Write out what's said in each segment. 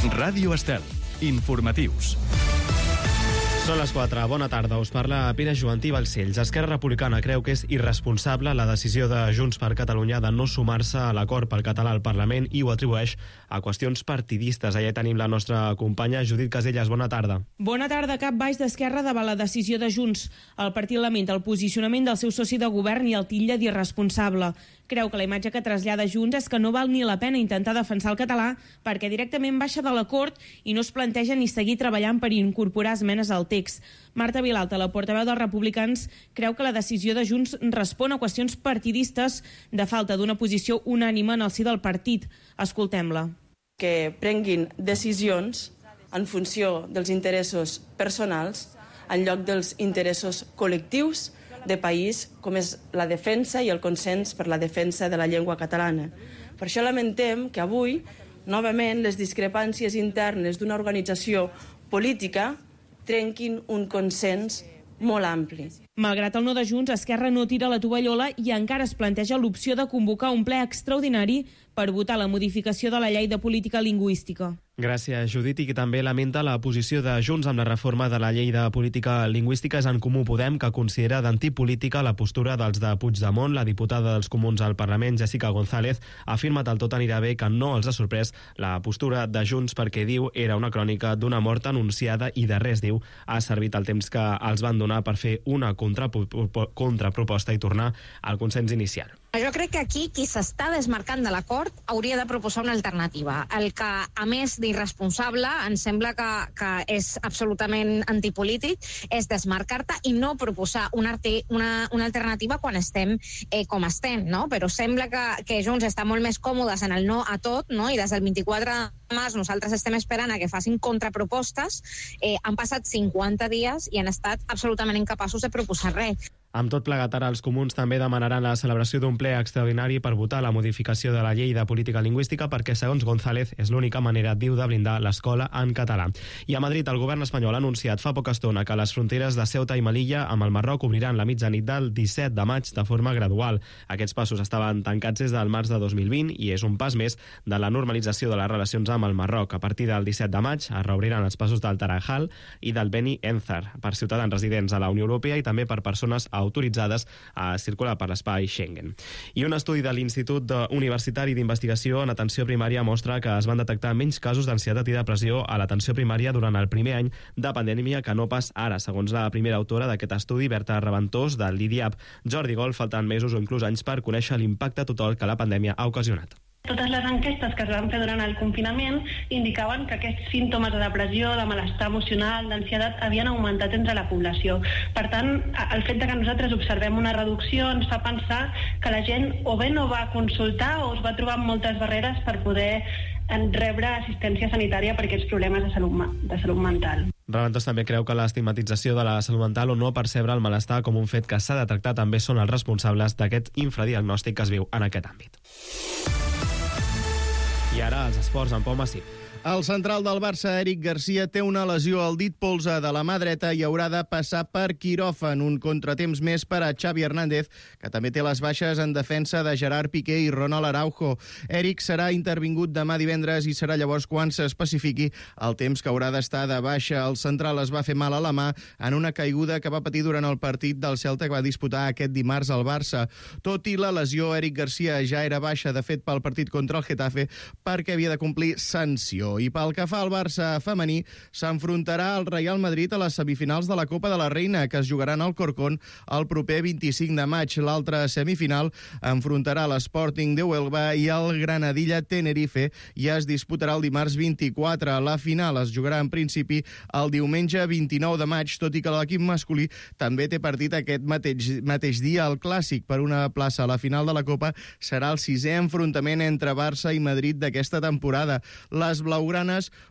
Ràdio Estel. Informatius. Són les 4. Bona tarda. Us parla Pere Joantí Balcells. Esquerra Republicana creu que és irresponsable la decisió de Junts per Catalunya de no sumar-se a l'acord pel català al Parlament i ho atribueix a qüestions partidistes. Allà tenim la nostra companya Judit Casellas. Bona tarda. Bona tarda. Cap baix d'Esquerra davant la decisió de Junts. El partit lamenta el posicionament del seu soci de govern i el titlla d'irresponsable. Creu que la imatge que trasllada Junts és que no val ni la pena intentar defensar el català perquè directament baixa de l'acord i no es planteja ni seguir treballant per incorporar esmenes al text. Marta Vilalta, la portaveu dels republicans, creu que la decisió de Junts respon a qüestions partidistes de falta d'una posició unànime en el si del partit. Escoltem-la. Que prenguin decisions en funció dels interessos personals en lloc dels interessos col·lectius de país, com és la defensa i el consens per la defensa de la llengua catalana. Per això lamentem que avui, novament, les discrepàncies internes d'una organització política trenquin un consens molt ampli. Malgrat el no de Junts, Esquerra no tira la tovallola i encara es planteja l'opció de convocar un ple extraordinari per votar la modificació de la llei de política lingüística. Gràcies, Judit, i que també lamenta la posició de Junts amb la reforma de la llei de política lingüística. És En Comú Podem, que considera d'antipolítica la postura dels de Puigdemont. La diputada dels Comuns al Parlament, Jessica González, ha afirmat al Tot anirà bé que no els ha sorprès la postura de Junts perquè, diu, era una crònica d'una mort anunciada i de res, diu, ha servit el temps que els van donar per fer una contraproposta i tornar al consens inicial. Jo crec que aquí qui s'està desmarcant de l'acord hauria de proposar una alternativa. El que, a més d'irresponsable, em sembla que és absolutament antipolític, és desmarcar-te i no proposar una alternativa quan estem com estem, no? Però sembla que Junts està molt més còmodes en el no a tot, no? I des del 24 de març nosaltres estem esperant a que facin contrapropostes. Han passat 50 dies i han estat absolutament incapaços de proposar res. Amb tot plegat, ara els comuns també demanaran la celebració d'un ple extraordinari per votar la modificació de la llei de política lingüística perquè, segons González, és l'única manera, diu, de blindar l'escola en català. I a Madrid, el govern espanyol ha anunciat fa poca estona que les fronteres de Ceuta i Melilla amb el Marroc obriran la mitjanit del 17 de maig de forma gradual. Aquests passos estaven tancats des del març de 2020 i és un pas més de la normalització de les relacions amb el Marroc. A partir del 17 de maig es reobriran els passos del Tarajal i del Beni Enzar per ciutadans residents a la Unió Europea i també per persones autoritzades a circular per l'espai Schengen. I un estudi de l'Institut Universitari d'Investigació en Atenció Primària mostra que es van detectar menys casos d'ansietat i depressió a l'atenció primària durant el primer any de pandèmia que no pas ara, segons la primera autora d'aquest estudi, Berta Reventós, del l'IDIAP. Jordi Gol, faltant mesos o inclús anys per conèixer l'impacte total que la pandèmia ha ocasionat. Totes les enquestes que es van fer durant el confinament indicaven que aquests símptomes de depressió, de malestar emocional, d'ansietat, havien augmentat entre la població. Per tant, el fet de que nosaltres observem una reducció ens fa pensar que la gent o bé no va consultar o es va trobar amb moltes barreres per poder rebre assistència sanitària per aquests problemes de salut mental. Reventós també creu que l'estigmatització de la salut mental o no percebre el malestar com un fet que s'ha de tractar també són els responsables d'aquest infradiagnòstic que es viu en aquest àmbit. I ara els esports amb Pau Massip. El central del Barça, Eric Garcia, té una lesió al dit polze de la mà dreta i haurà de passar per quiròfan. Un contratemps més per a Xavi Hernández, que també té les baixes en defensa de Gerard Piqué i Ronald Araujo. Eric serà intervingut demà divendres i serà llavors quan s'especifiqui el temps que haurà d'estar de baixa. El central es va fer mal a la mà en una caiguda que va patir durant el partit del Celta que va disputar aquest dimarts al Barça. Tot i la lesió, Eric Garcia ja era baixa, de fet, pel partit contra el Getafe, perquè havia de complir sanció. I pel que fa al Barça femení, s'enfrontarà al Real Madrid a les semifinals de la Copa de la Reina, que es jugaran al Corcón el proper 25 de maig. L'altra semifinal enfrontarà l'Sporting de Huelva i el Granadilla Tenerife i es disputarà el dimarts 24. La final es jugarà en principi el diumenge 29 de maig, tot i que l'equip masculí també té partit aquest mateix dia. El clàssic per una plaça a la final de la Copa serà el 6è enfrontament entre Barça i Madrid d'aquesta temporada. Les blaugranes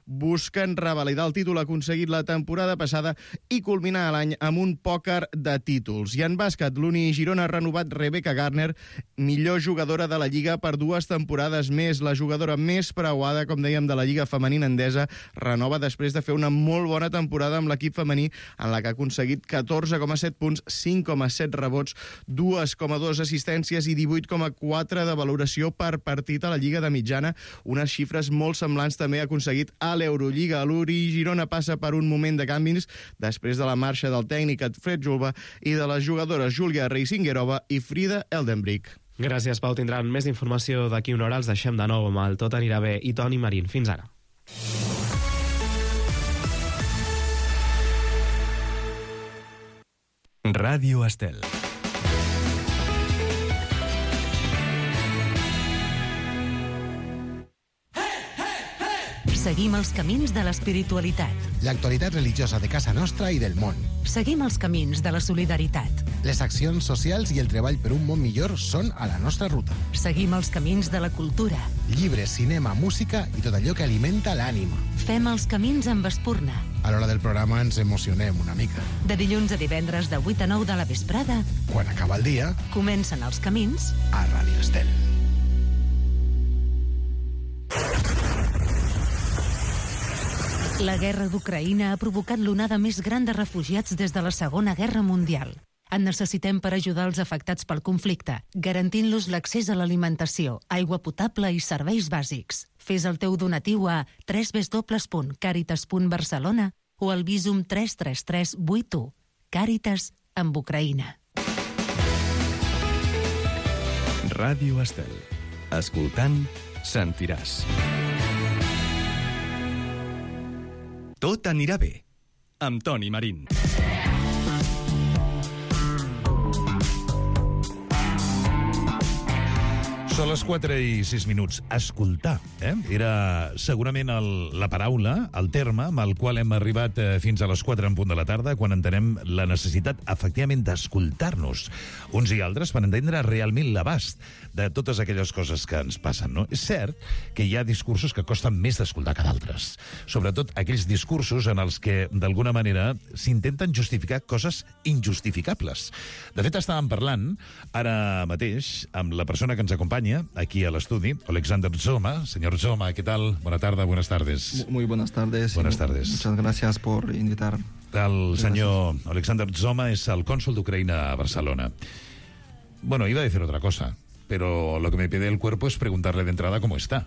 busquen revalidar el títol aconseguit la temporada passada i culminar l'any amb un pòquer de títols. I en bàsquet, l'Uni Girona ha renovat Rebecca Garner, millor jugadora de la Lliga per 2 temporades més. La jugadora més preuada, com dèiem, de la Lliga femenina endesa, renova després de fer una molt bona temporada amb l'equip femení, en la que ha aconseguit 14,7 punts, 5,7 rebots, 2,2 assistències i 18,4 de valoració per partit a la Lliga de mitjana, unes xifres molt semblants també també ha aconseguit a l'Eurolliga. L'Uri Girona passa per un moment de canvis després de la marxa del tècnic Fred Julba i de les jugadores Júlia Reisingerova i Frida Eldenbrink. Gràcies, Pau. Tindran més informació d'aquí una hora. Els deixem de nou amb el Tot anirà bé i Toni Marín. Fins ara. Ràdio Estel. Seguim els camins de l'espiritualitat. L'actualitat religiosa de casa nostra i del món. Seguim els camins de la solidaritat. Les accions socials i el treball per un món millor són a la nostra ruta. Seguim els camins de la cultura. Llibres, cinema, música i tot allò que alimenta l'ànima. Fem els camins amb espurna. A l'hora del programa ens emocionem una mica. De dilluns a divendres de 8 a 9 de la vesprada, Quan acaba el dia, comencen els camins a Ràdio Estel. La guerra d'Ucraïna ha provocat l'onada més gran de refugiats des de la Segona Guerra Mundial. En necessitem per ajudar els afectats pel conflicte, garantint-los l'accés a l'alimentació, aigua potable i serveis bàsics. Fes el teu donatiu a www.caritas.barcelona o al Visum 33381. Càritas amb Ucraïna. Ràdio Estel. Escoltant, sentiràs. Tot anirà bé, amb Toni Marín. Són les 4:06. Escoltar, era segurament la paraula, el terme amb el qual hem arribat fins a les 4 en punt de la tarda, quan entenem la necessitat, efectivament, d'escoltar-nos uns i altres per entendre realment l'abast de totes aquelles coses que ens passen, no? És cert que hi ha discursos que costen més d'escoltar que d'altres. Sobretot aquells discursos en els que, d'alguna manera, s'intenten justificar coses injustificables. De fet, estàvem parlant ara mateix amb la persona que ens acompanya aquí a l'estudi, Alexander Zoma. Señor Zoma, ¿qué tal? Buenas tardes. Muy buenas tardes. Buenas tardes. Muchas gracias por invitar. El senyor Alexander Zoma es el cónsul de Ucrania a Barcelona. Bueno, iba a decir otra cosa, pero lo que me pide el cuerpo es preguntarle de entrada cómo está.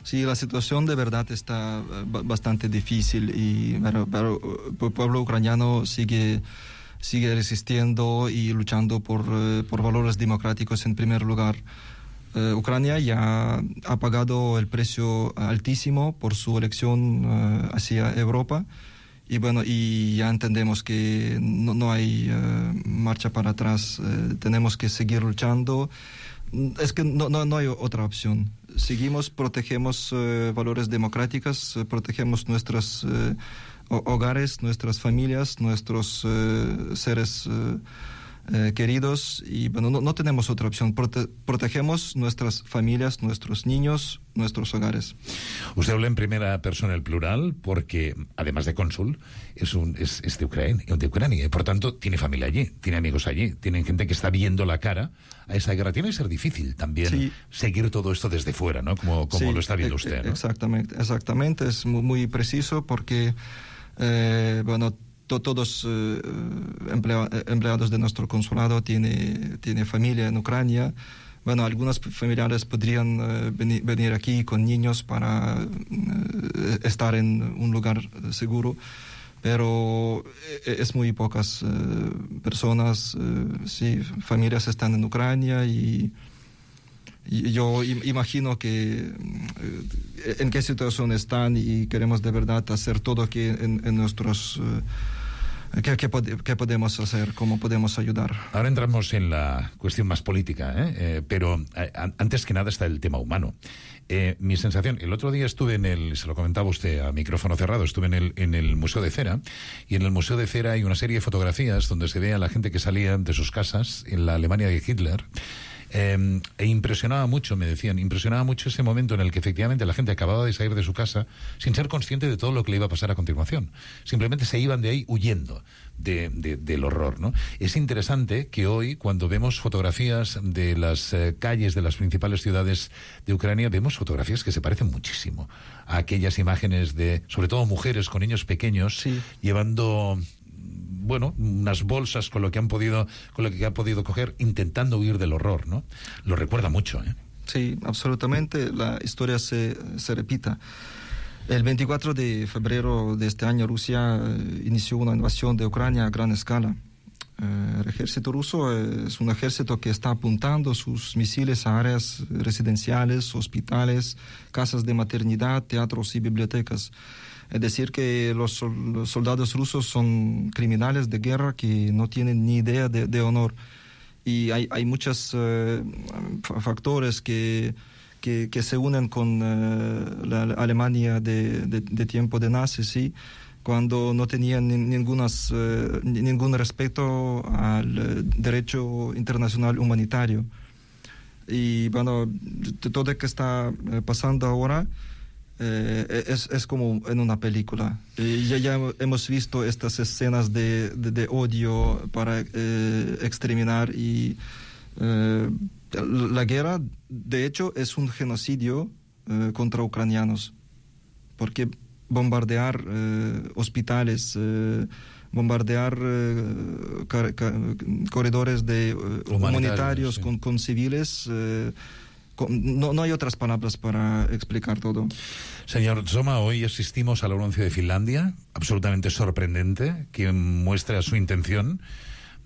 Sí, la situación de verdad está bastante difícil, pero el pueblo ucraniano sigue resistiendo y luchando por valores democráticos en primer lugar. Ucrania ya ha pagado el precio altísimo por su elección hacia Europa, y ya entendemos que no hay marcha para atrás. Tenemos que seguir luchando. Es que no hay otra opción. Protegemos valores democráticos, protegemos nuestros hogares, nuestras familias, nuestros seres queridos, y no tenemos otra opción. Protegemos nuestras familias, nuestros niños, nuestros hogares. Usted habla en primera persona el plural porque, además de cónsul, es de Ucrania, y por tanto tiene familia allí, tiene amigos allí, tienen gente que está viendo la cara a esa guerra. Tiene que ser difícil también seguir todo esto desde fuera, ¿no? Como lo está viendo usted, ¿no? Exactamente, es muy preciso porque todos empleados de nuestro consulado tiene familia en Ucrania. Algunos familiares podrían venir aquí con niños para estar en un lugar seguro, pero es muy pocas personas, familias están en Ucrania, y yo imagino que en qué situación están, y queremos de verdad hacer todo que en nuestros... ¿Qué podemos hacer? ¿Cómo podemos ayudar? Ahora entramos en la cuestión más política, pero antes que nada está el tema humano. Mi sensación, el otro día estuve se lo comentaba usted a micrófono cerrado, estuve en el Museo de Cera, y en el Museo de Cera hay una serie de fotografías donde se ve a la gente que salía de sus casas en la Alemania de Hitler. E impresionaba mucho, me decían, ese momento en el que efectivamente la gente acababa de salir de su casa sin ser consciente de todo lo que le iba a pasar a continuación. Simplemente se iban de ahí huyendo del horror, ¿no? Es interesante que hoy, cuando vemos fotografías de las calles de las principales ciudades de Ucrania, vemos fotografías que se parecen muchísimo a aquellas imágenes de, sobre todo, mujeres con niños pequeños llevando... unas bolsas con lo que han podido coger, intentando huir del horror, ¿no? Lo recuerda mucho, ¿eh? Sí, absolutamente. La historia se repita. El 24 de febrero de este año Rusia inició una invasión de Ucrania a gran escala. El ejército ruso es un ejército que está apuntando sus misiles a áreas residenciales, hospitales, casas de maternidad, teatros y bibliotecas. Es decir, que los soldados rusos son criminales de guerra que no tienen ni idea de honor. Y hay muchos factores que se unen con la Alemania de tiempo de nazis, ¿sí? Cuando no tenían ningún respeto al derecho internacional humanitario. Y bueno, todo lo que está pasando ahora es como en una película. Ya hemos visto estas escenas de odio para exterminar y la guerra, de hecho, es un genocidio contra ucranianos, porque bombardear hospitales, bombardear corredores humanitarios sí. con civiles, no hay otras palabras para explicar todo. Señor Zoma, hoy asistimos al anuncio de Finlandia, absolutamente sorprendente, que muestra su intención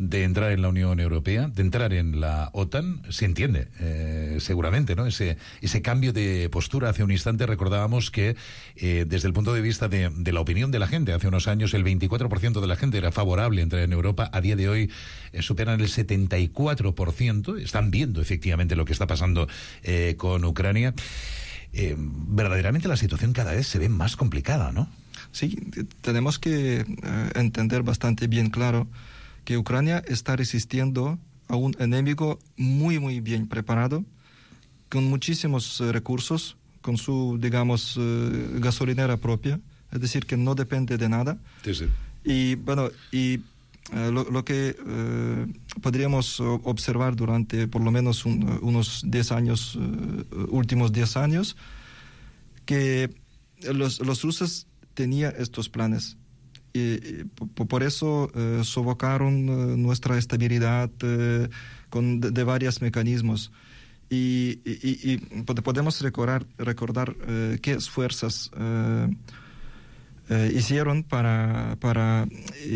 de entrar en la Unión Europea, de entrar en la OTAN. Se entiende, seguramente, ¿no? Ese cambio de postura. Hace un instante recordábamos que desde el punto de vista de la opinión de la gente, hace unos años el 24% de la gente era favorable a entrar en Europa. A día de hoy superan el 74%. Están viendo efectivamente lo que está pasando con Ucrania. Verdaderamente la situación cada vez se ve más complicada, ¿no? Sí, tenemos que entender bastante bien claro que Ucrania está resistiendo a un enemigo muy, muy bien preparado, con muchísimos recursos, con su, digamos, gasolinera propia, es decir, que no depende de nada. Sí, sí. Y bueno, lo que podríamos observar durante por lo menos unos 10 años, últimos 10 años, que los rusos tenían estos planes. Y por eso sofocaron nuestra estabilidad de varios mecanismos. Y podemos recordar qué esfuerzos hicieron para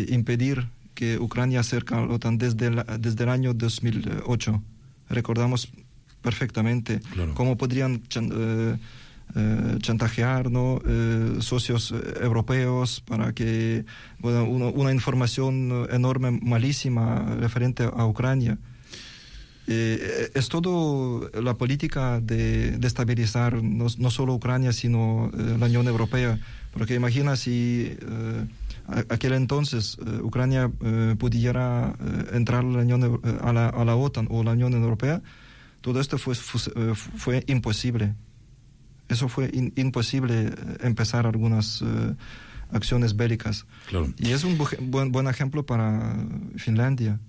impedir que Ucrania acerque a la OTAN desde el año 2008. Recordamos perfectamente cómo podrían chantajear, ¿no? Socios europeos para que una información enorme, malísima referente a Ucrania. Es todo la política de estabilizar no solo Ucrania sino la Unión Europea, porque imagina si aquel entonces Ucrania pudiera entrar a la OTAN o la Unión Europea, todo esto fue imposible. Eso fue imposible empezar algunas acciones bélicas. Claro. Y es un buen ejemplo para Finlandia.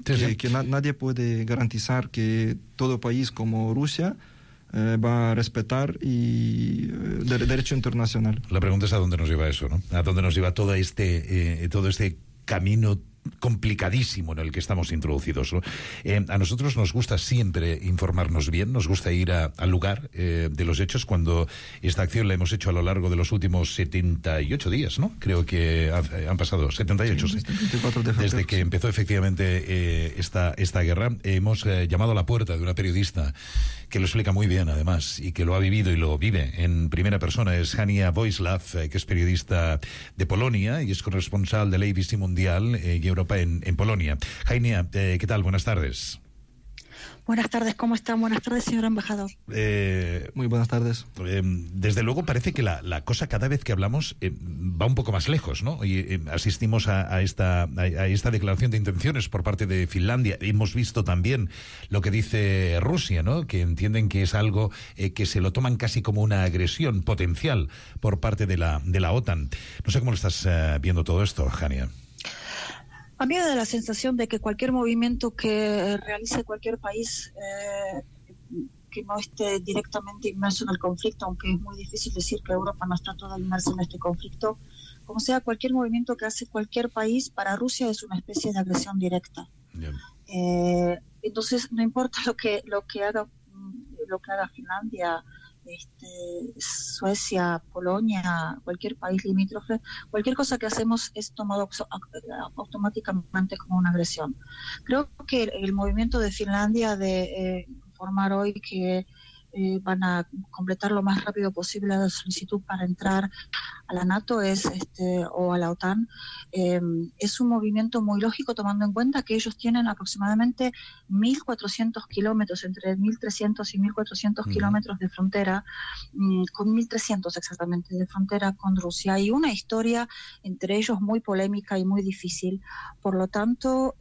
Sí. Que nadie puede garantizar que todo país como Rusia va a respetar derecho internacional. La pregunta es a dónde nos lleva eso, ¿no? A dónde nos lleva todo este camino complicadísimo en el que estamos introducidos, ¿no? A nosotros nos gusta siempre informarnos bien, nos gusta ir al lugar de los hechos. Cuando esta acción la hemos hecho a lo largo de los últimos 78 días, ¿no? Creo que han pasado 78, sí. 24 de febrero, desde que empezó efectivamente esta guerra. Hemos llamado a la puerta de una periodista que lo explica muy bien, además, y que lo ha vivido y lo vive en primera persona. Es Hania Voislav, que es periodista de Polonia y es corresponsal del ABC Mundial y Europa en Polonia. Hania, ¿qué tal? Buenas tardes. Buenas tardes, ¿cómo están? Buenas tardes, señor embajador. Muy buenas tardes. Desde luego parece que la cosa cada vez que hablamos va un poco más lejos, ¿no? Y asistimos a esta declaración de intenciones por parte de Finlandia. Hemos visto también lo que dice Rusia, ¿no? Que entienden que es algo que se lo toman casi como una agresión potencial por parte de la OTAN. No sé cómo lo estás viendo todo esto, Hania. A mí me da la sensación de que cualquier movimiento que realice cualquier país que no esté directamente inmerso en el conflicto, aunque es muy difícil decir que Europa no está toda inmersa en este conflicto, como sea, cualquier movimiento que hace cualquier país para Rusia es una especie de agresión directa. Entonces, no importa lo que haga Finlandia, Suecia, Polonia, cualquier país limítrofe, cualquier cosa que hacemos es tomado automáticamente como una agresión. Creo que el movimiento de Finlandia de informar hoy que van a completar lo más rápido posible la solicitud para entrar a la NATO o a la OTAN, es un movimiento muy lógico, tomando en cuenta que ellos tienen aproximadamente 1.400 kilómetros, entre 1.300 y 1.400 kilómetros de frontera, con 1.300 exactamente de frontera con Rusia, y una historia entre ellos muy polémica y muy difícil. Por lo tanto,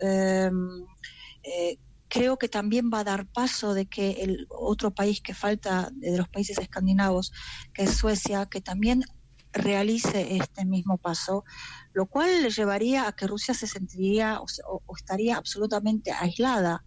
creo que también va a dar paso de que el otro país que falta de los países escandinavos, que es Suecia, que también realice este mismo paso, lo cual le llevaría a que Rusia se sentiría o estaría absolutamente aislada.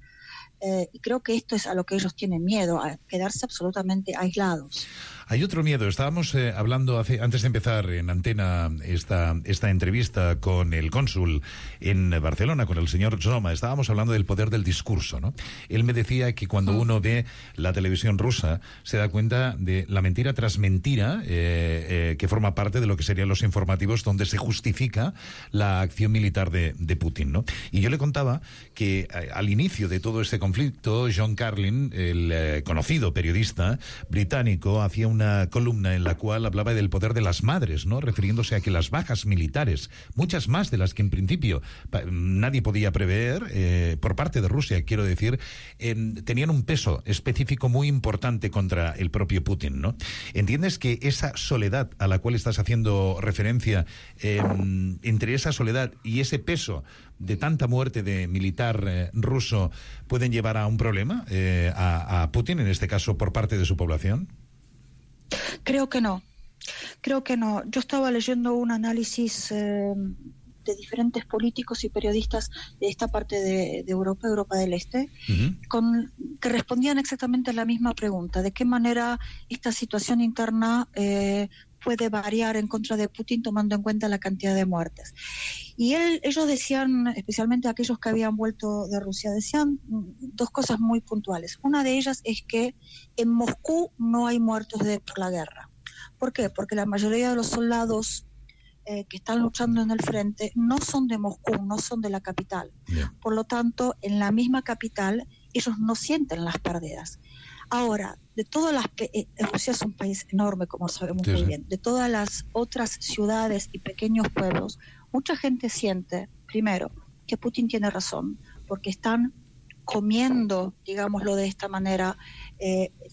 Y creo que esto es a lo que ellos tienen miedo, a quedarse absolutamente aislados. Hay otro miedo. Estábamos hablando antes de empezar en antena esta entrevista con el cónsul en Barcelona, con el señor Zoma. Estábamos hablando del poder del discurso, ¿no? Él me decía que cuando uno ve la televisión rusa se da cuenta de la mentira tras mentira que forma parte de lo que serían los informativos, donde se justifica la acción militar de Putin, ¿no? Y yo le contaba que al inicio de todo este conflicto, John Carlin, el conocido periodista británico, hacía una columna en la cual hablaba del poder de las madres, ¿no? Refiriéndose a que las bajas militares, muchas más de las que en principio nadie podía prever, por parte de Rusia, quiero decir, tenían un peso específico muy importante contra el propio Putin, ¿no? ¿Entiendes que esa soledad a la cual estás haciendo referencia, entre esa soledad y ese peso de tanta muerte de militar ruso, pueden llevar a un problema a Putin, en este caso por parte de su población? Creo que no. Yo estaba leyendo un análisis de diferentes políticos y periodistas de esta parte de Europa del Este, que respondían exactamente a la misma pregunta: ¿de qué manera esta situación interna puede variar en contra de Putin, tomando en cuenta la cantidad de muertes? Y ellos decían, especialmente aquellos que habían vuelto de Rusia, decían dos cosas muy puntuales. Una de ellas es que en Moscú no hay muertos por la guerra. ¿Por qué? Porque la mayoría de los soldados que están luchando en el frente no son de Moscú, no son de la capital. Yeah. Por lo tanto, en la misma capital ellos no sienten las pérdidas. Ahora, de todas las Rusia es un país enorme, como sabemos muy bien. De todas las otras ciudades y pequeños pueblos, mucha gente siente, primero, que Putin tiene razón, porque están comiendo, digámoslo de esta manera,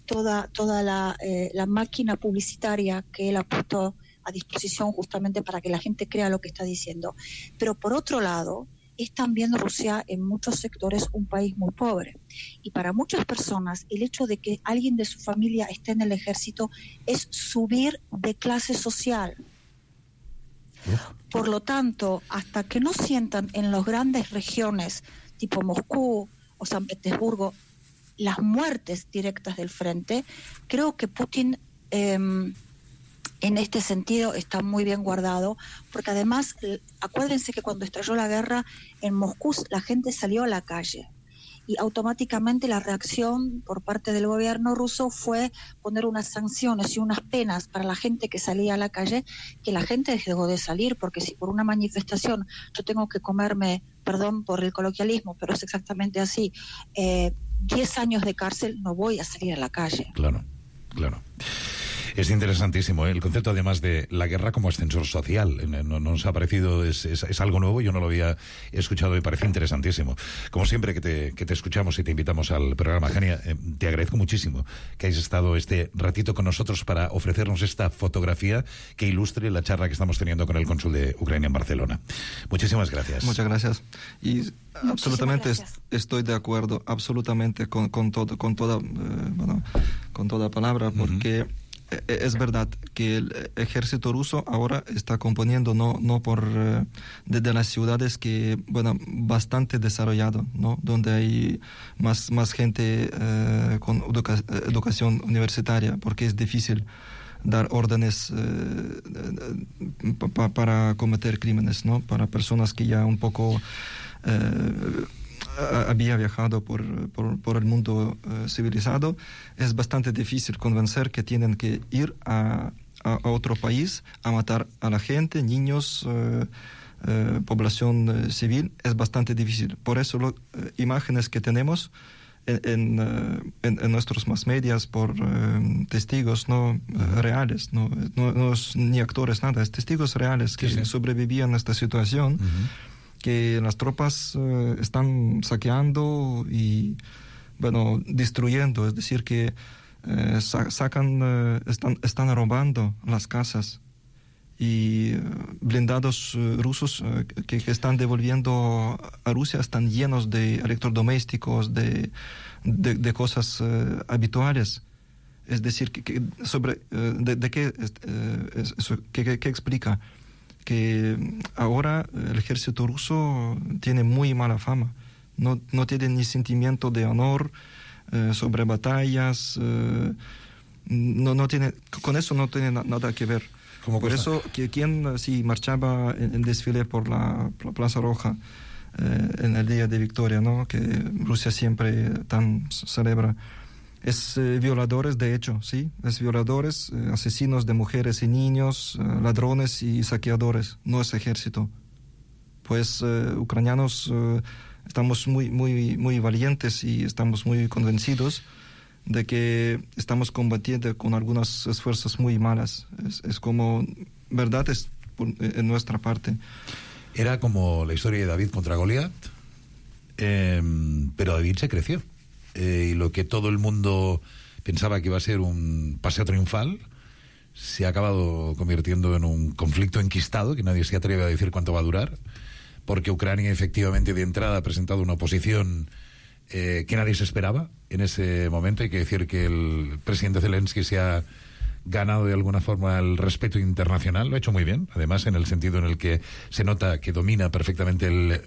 toda la máquina publicitaria que él ha puesto a disposición justamente para que la gente crea lo que está diciendo. Pero por otro lado, es también Rusia en muchos sectores un país muy pobre. Y para muchas personas el hecho de que alguien de su familia esté en el ejército es subir de clase social. Por lo tanto, hasta que no sientan en las grandes regiones tipo Moscú o San Petersburgo las muertes directas del frente, creo que Putin en este sentido está muy bien guardado, porque además, acuérdense que cuando estalló la guerra en Moscú la gente salió a la calle y automáticamente la reacción por parte del gobierno ruso fue poner unas sanciones y unas penas para la gente que salía a la calle, que la gente dejó de salir, porque si por una manifestación yo tengo que comerme, perdón por el coloquialismo, pero es exactamente así, 10 años de cárcel, no voy a salir a la calle. Claro. Es interesantísimo, ¿eh? El concepto además de la guerra como ascensor social. No nos ha parecido, es algo nuevo, yo no lo había escuchado y parece interesantísimo. Como siempre que te escuchamos y te invitamos al programa, Jania, te agradezco muchísimo que hayas estado este ratito con nosotros para ofrecernos esta fotografía que ilustre la charla que estamos teniendo con el cónsul de Ucrania en Barcelona. Muchísimas gracias. Muchas gracias. Y absolutamente estoy de acuerdo, absolutamente con toda palabra, porque es verdad que el ejército ruso ahora está componiendo no por desde las ciudades que bastante desarrollado, ¿no? Donde hay más gente con educación universitaria, porque es difícil dar órdenes para cometer crímenes, ¿no? Para personas que ya un poco había viajado por el mundo civilizado, es bastante difícil convencer que tienen que ir a otro país a matar a la gente, niños, población civil. Es bastante difícil. Por eso imágenes que tenemos en nuestros más medias por testigos reales, no es ni actores, nada, es testigos reales que sobrevivían a esta situación, que las tropas están saqueando y destruyendo, es decir, que están robando las casas, y blindados rusos que están devolviendo a Rusia están llenos de electrodomésticos, de cosas habituales. Es decir, ¿qué explica? Que ahora el ejército ruso tiene muy mala fama. No tiene ni sentimiento de honor sobre batallas. No tiene, con eso no tiene nada que ver. Por eso, quien marchaba en desfile por la Plaza Roja en el Día de Victoria, ¿no? Que Rusia siempre tan celebra, es violadores, de hecho, sí, es violadores, asesinos de mujeres y niños, ladrones y saqueadores, no es ejército. Pues ucranianos estamos muy valientes y estamos muy convencidos de que estamos combatiendo con algunas fuerzas muy malas. Es como, verdad es en nuestra parte. Era como la historia de David contra Goliat, pero David se creció. Y lo que todo el mundo pensaba que iba a ser un paseo triunfal se ha acabado convirtiendo en un conflicto enquistado, que nadie se atreve a decir cuánto va a durar, porque Ucrania efectivamente de entrada ha presentado una oposición que nadie se esperaba en ese momento. Hay que decir que el presidente Zelensky se ha ganado de alguna forma el respeto internacional, lo ha hecho muy bien, además en el sentido en el que se nota que domina perfectamente el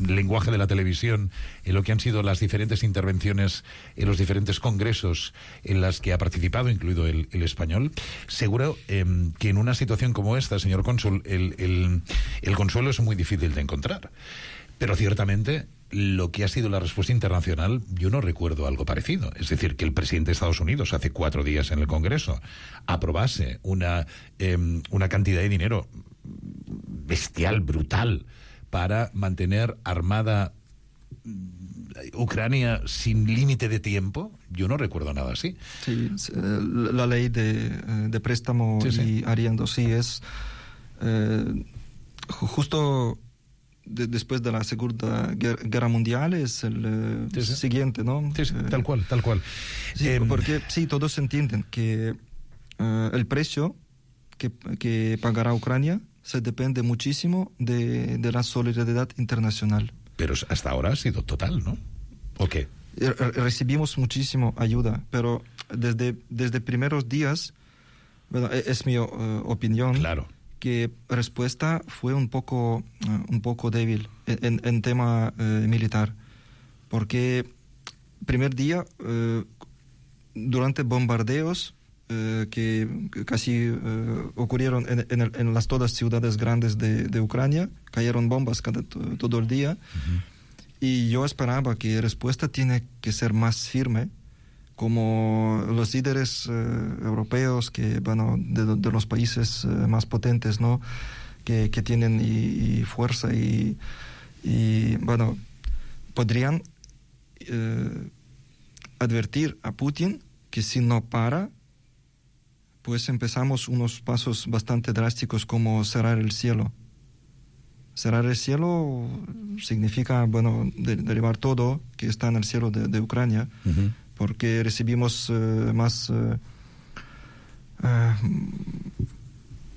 lenguaje de la televisión en lo que han sido las diferentes intervenciones en los diferentes congresos en las que ha participado, incluido el español. Seguro que en una situación como esta, señor cónsul, el consuelo es muy difícil de encontrar, pero ciertamente lo que ha sido la respuesta internacional, yo no recuerdo algo parecido. Es decir, que el presidente de Estados Unidos hace 4 días en el Congreso aprobase una cantidad de dinero bestial, brutal, para mantener armada Ucrania sin límite de tiempo. Yo no recuerdo nada así. Sí, la ley de préstamo y arriendo, sí, es justo después de la Segunda Guerra Mundial, es el siguiente, ¿no? Sí, tal cual. Sí, porque sí, todos entienden que el precio que pagará Ucrania se depende muchísimo de la solidaridad internacional. Pero hasta ahora ha sido total, ¿no? ¿O qué? Recibimos muchísimo ayuda, pero desde primeros días, bueno, es mi opinión. Claro. Que respuesta fue un poco débil en tema militar, porque primer día, durante bombardeos que casi ocurrieron en las todas ciudades grandes de Ucrania, cayeron bombas todo el día, y yo esperaba que la respuesta tiene que ser más firme, como los líderes europeos que de los países más potentes, ¿no? que tienen y fuerza y podrían advertir a Putin que si no para, pues empezamos unos pasos bastante drásticos como cerrar el cielo. Cerrar el cielo significa, derribar todo que está en el cielo de Ucrania, porque recibimos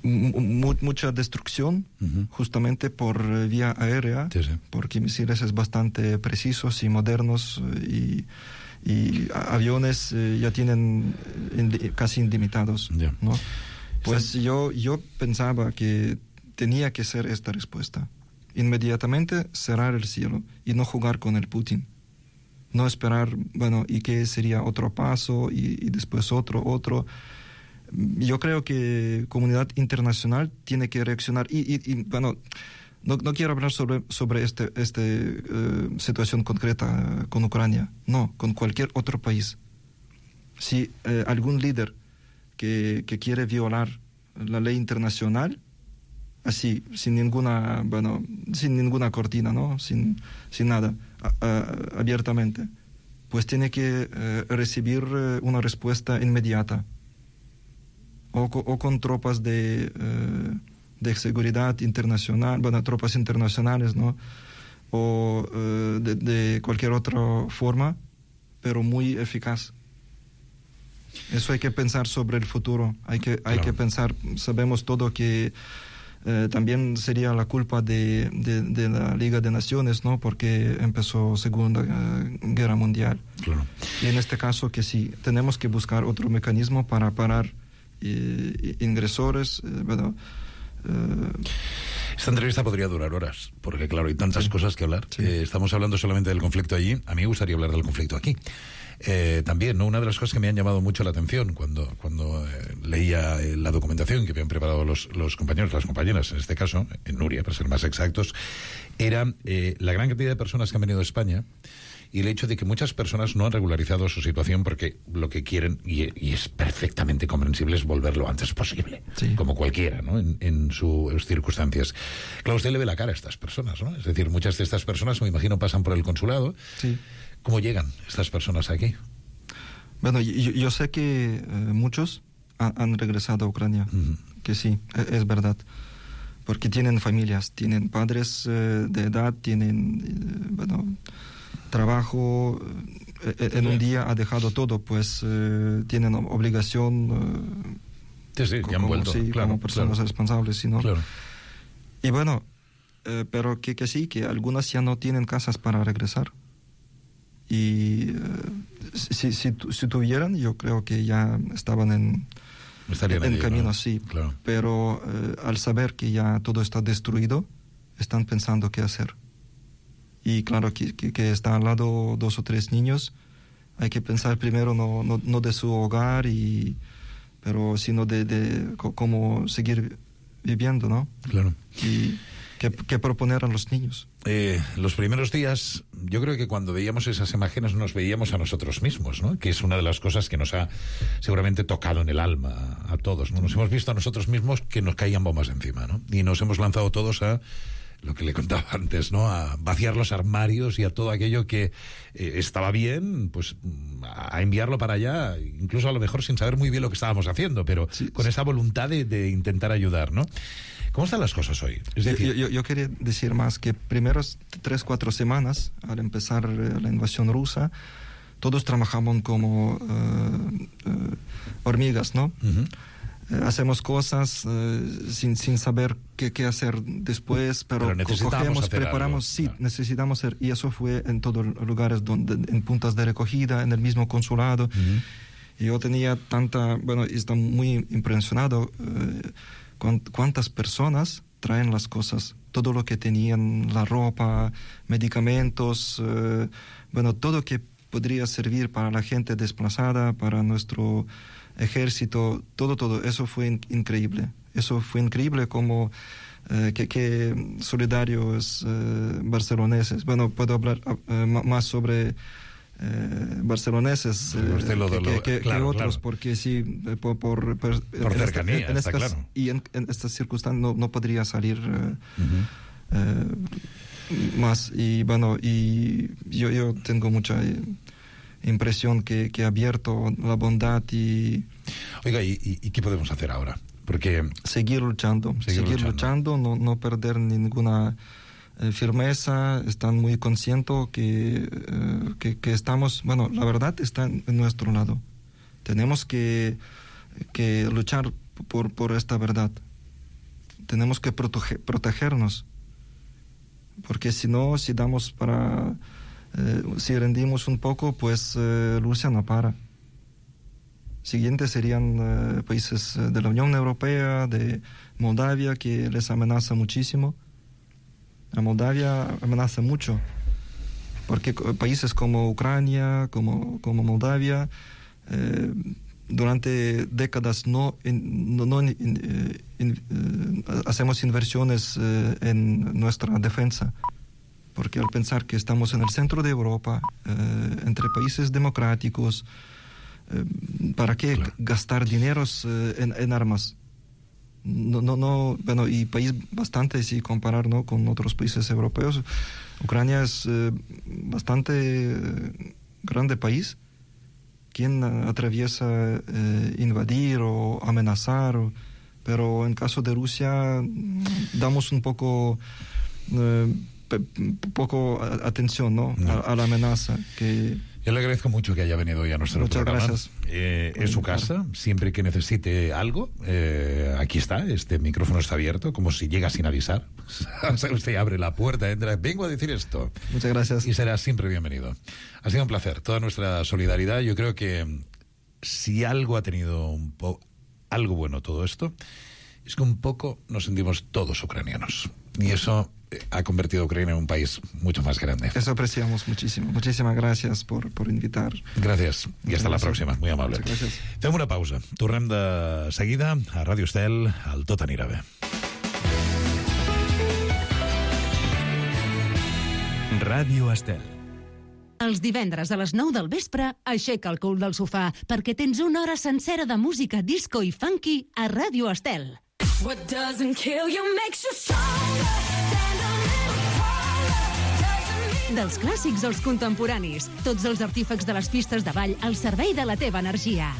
mucha destrucción justamente por vía aérea, porque misiles es bastante precisos y modernos, y aviones ya tienen casi ilimitados, ¿no? Pues yo pensaba que tenía que ser esta respuesta. Inmediatamente cerrar el cielo y no jugar con el Putin. No esperar, y que sería otro paso y después otro. Yo creo que la comunidad internacional tiene que reaccionar. No quiero hablar sobre esta situación concreta con Ucrania, no, con cualquier otro país. Si algún líder que quiere violar la ley internacional, así, sin ninguna cortina, ¿no? Sin nada, abiertamente, pues tiene que recibir una respuesta inmediata, o con tropas de seguridad internacional, tropas internacionales, ¿no? O de cualquier otra forma, pero muy eficaz. Eso hay que pensar sobre el futuro, hay que pensar, sabemos todo que también sería la culpa de la Liga de Naciones, ¿no? Porque empezó Segunda Guerra Mundial. Claro. Y en este caso que sí, tenemos que buscar otro mecanismo para parar ingresores, Esta entrevista podría durar horas, porque claro, hay tantas cosas que hablar. Sí. Estamos hablando solamente del conflicto allí. A mí me gustaría hablar del conflicto aquí. También, ¿no? Una de las cosas que me han llamado mucho la atención cuando leía la documentación que habían preparado los compañeros, las compañeras, en este caso, en Nuria, para ser más exactos, era la gran cantidad de personas que han venido a España y el hecho de que muchas personas no han regularizado su situación porque lo que quieren, y es perfectamente comprensible, es volver lo antes posible, sí, como cualquiera, ¿no? En sus circunstancias. Claro, usted le ve la cara a estas personas, ¿no? Es decir, muchas de estas personas, me imagino, pasan por el consulado. Sí. ¿Cómo llegan estas personas aquí? Bueno, yo sé que muchos han regresado a Ucrania, que sí, es verdad, porque tienen familias, tienen padres de edad, tienen, trabajo, en un día ha dejado todo, pues tienen obligación ya han vuelto, como personas responsables, ¿sí, no? Claro. Y bueno, pero que sí, que algunas ya no tienen casas para regresar. Y si tuvieran, yo creo que ya estaban en camino, ¿no? Sí, claro. Pero al saber que ya todo está destruido, están pensando qué hacer. Y claro, que están al lado 2 o 3 niños, hay que pensar primero no de su hogar, pero sino de cómo seguir viviendo, ¿no? Claro. Y ¿qué proponer a los niños? Los primeros días, yo creo que cuando veíamos esas imágenes nos veíamos a nosotros mismos, ¿no? Que es una de las cosas que nos ha seguramente tocado en el alma a todos, ¿no? Nos hemos visto a nosotros mismos que nos caían bombas encima, ¿no? Y nos hemos lanzado todos a lo que le contaba antes, ¿no? A vaciar los armarios y a todo aquello que estaba bien, pues a enviarlo para allá, incluso a lo mejor sin saber muy bien lo que estábamos haciendo, pero sí, con esa voluntad de intentar ayudar, ¿no? ¿Cómo están las cosas hoy? Es decir, yo quería decir más que primeros 3-4 semanas, al empezar la invasión rusa, todos trabajamos como hormigas, ¿no? Hacemos cosas sin saber qué hacer después, pero cogemos, preparamos, algo. Sí, necesitamos hacer, y eso fue en todos los lugares, en puntas de recogida, en el mismo consulado. Y yo tenía está muy impresionado cuántas personas traen las cosas, todo lo que tenían, la ropa, medicamentos, todo que podría servir para la gente desplazada, para nuestro ejército, todo, eso fue increíble. Eso fue increíble como que solidarios barceloneses. Bueno, puedo hablar más sobre barceloneses que otros, claro. Porque sí, por cercanía, está claro. Y en estas circunstancias no podría salir más. Y bueno, y yo tengo mucha impresión que ha abierto la bondad y... Oiga, ¿y qué podemos hacer ahora? Porque... Seguir luchando, no perder ninguna firmeza. Están muy conscientes que estamos... Bueno, la verdad está en nuestro lado. Tenemos que luchar por esta verdad. Tenemos que protegernos. Porque si no, si rendimos un poco, pues Rusia no para. Siguientes serían países de la Unión Europea, de Moldavia, que les amenaza muchísimo. A Moldavia amenaza mucho, porque países como Ucrania, como Moldavia, durante décadas no hacemos inversiones en nuestra defensa, porque al pensar que estamos en el centro de Europa, entre países democráticos, ¿para qué gastar dineros en armas? Bueno, y país bastante, si comparar, ¿no?, con otros países europeos, Ucrania es bastante grande país. ¿Quién atraviesa invadir o amenazar? Pero en caso de Rusia damos un poco atención, ¿no? A la amenaza que... Yo le agradezco mucho que haya venido hoy a nuestro programa. Muchas gracias. Es su casa, siempre que necesite algo, aquí está, este micrófono está abierto, como si llega sin avisar. Usted abre la puerta, entra, vengo a decir esto. Muchas gracias. Y será siempre bienvenido. Ha sido un placer, toda nuestra solidaridad. Yo creo que si algo ha tenido algo bueno todo esto, es que un poco nos sentimos todos ucranianos. Y eso ha convertido a Ucrania en un país mucho más grande. Eso apreciamos muchísimo. Muchísimas gracias por invitar. Gràcies. I hasta la pròxima. Muy amable. Fem una pausa. Tornem de seguida a Ràdio Estel, al Tot anirà bé. Ràdio Estel. Els divendres a les 9 del vespre, aixeca el cul del sofà, perquè tens una hora sencera de música disco i funky a Ràdio Estel. What doesn't kill you makes you stronger. Dels clàssics als contemporanis, tots els artífecs de les pistes de ball al servei de la teva energia.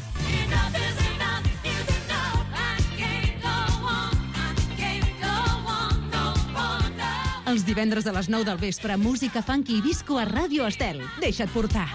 Els divendres a les 9 del vespre, música funky i disco a Ràdio Estel. Deixa't portar.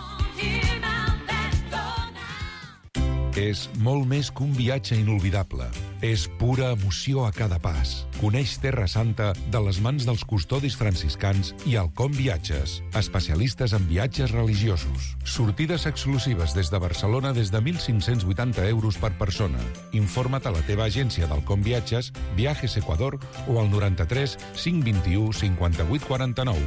És molt més que un viatge inolvidable. És pura emoció a cada pas. Coneix Terra Santa de les mans dels custodis franciscans i Alcom Viatges, especialistes en viatges religiosos. Sortides exclusives des de Barcelona des de 1.580 euros per persona. Informa't a la teva agència d'Alcom Viatges, Viajes Ecuador o al 93 521 58 49,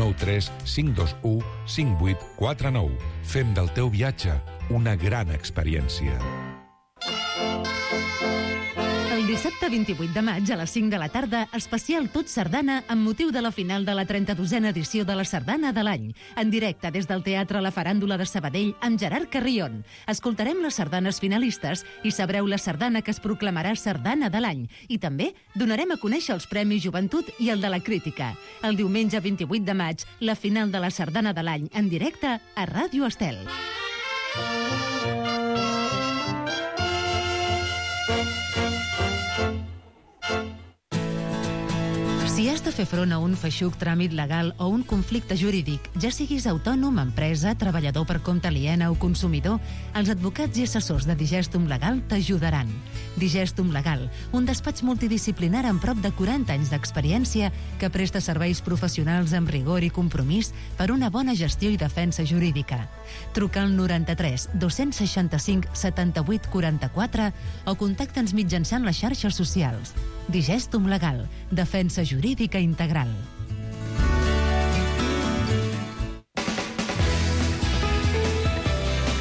93 521 58 49. Fem del teu viatge una gran experiència. El dissabte 28 de maig a les 5 de la tarda, especial Tot Sardana amb motiu de la final de la 32a edició de la Sardana de l'any. En directe des del Teatre La Faràndula de Sabadell amb Gerard Carrion. Escoltarem les sardanes finalistes i sabreu la sardana que es proclamarà Sardana de l'any. I també donarem a conèixer els Premis Joventut i el de la Crítica. El diumenge 28 de maig, la final de la Sardana de l'any en directe a Ràdio Estel. Si has de fer front a un feixuc tràmit legal o un conflicte jurídic, ja siguis autònom, empresa, treballador per compte aliena o consumidor, els advocats i assessors de Digestum Legal t'ajudaran. Digestum Legal, un despatx multidisciplinar amb prop de 40 anys d'experiència que presta serveis professionals amb rigor i compromís per una bona gestió i defensa jurídica. Truca al 93 265 78 44 o contacta'ns mitjançant les xarxes socials. Digestum Legal, defensa jurídica integral.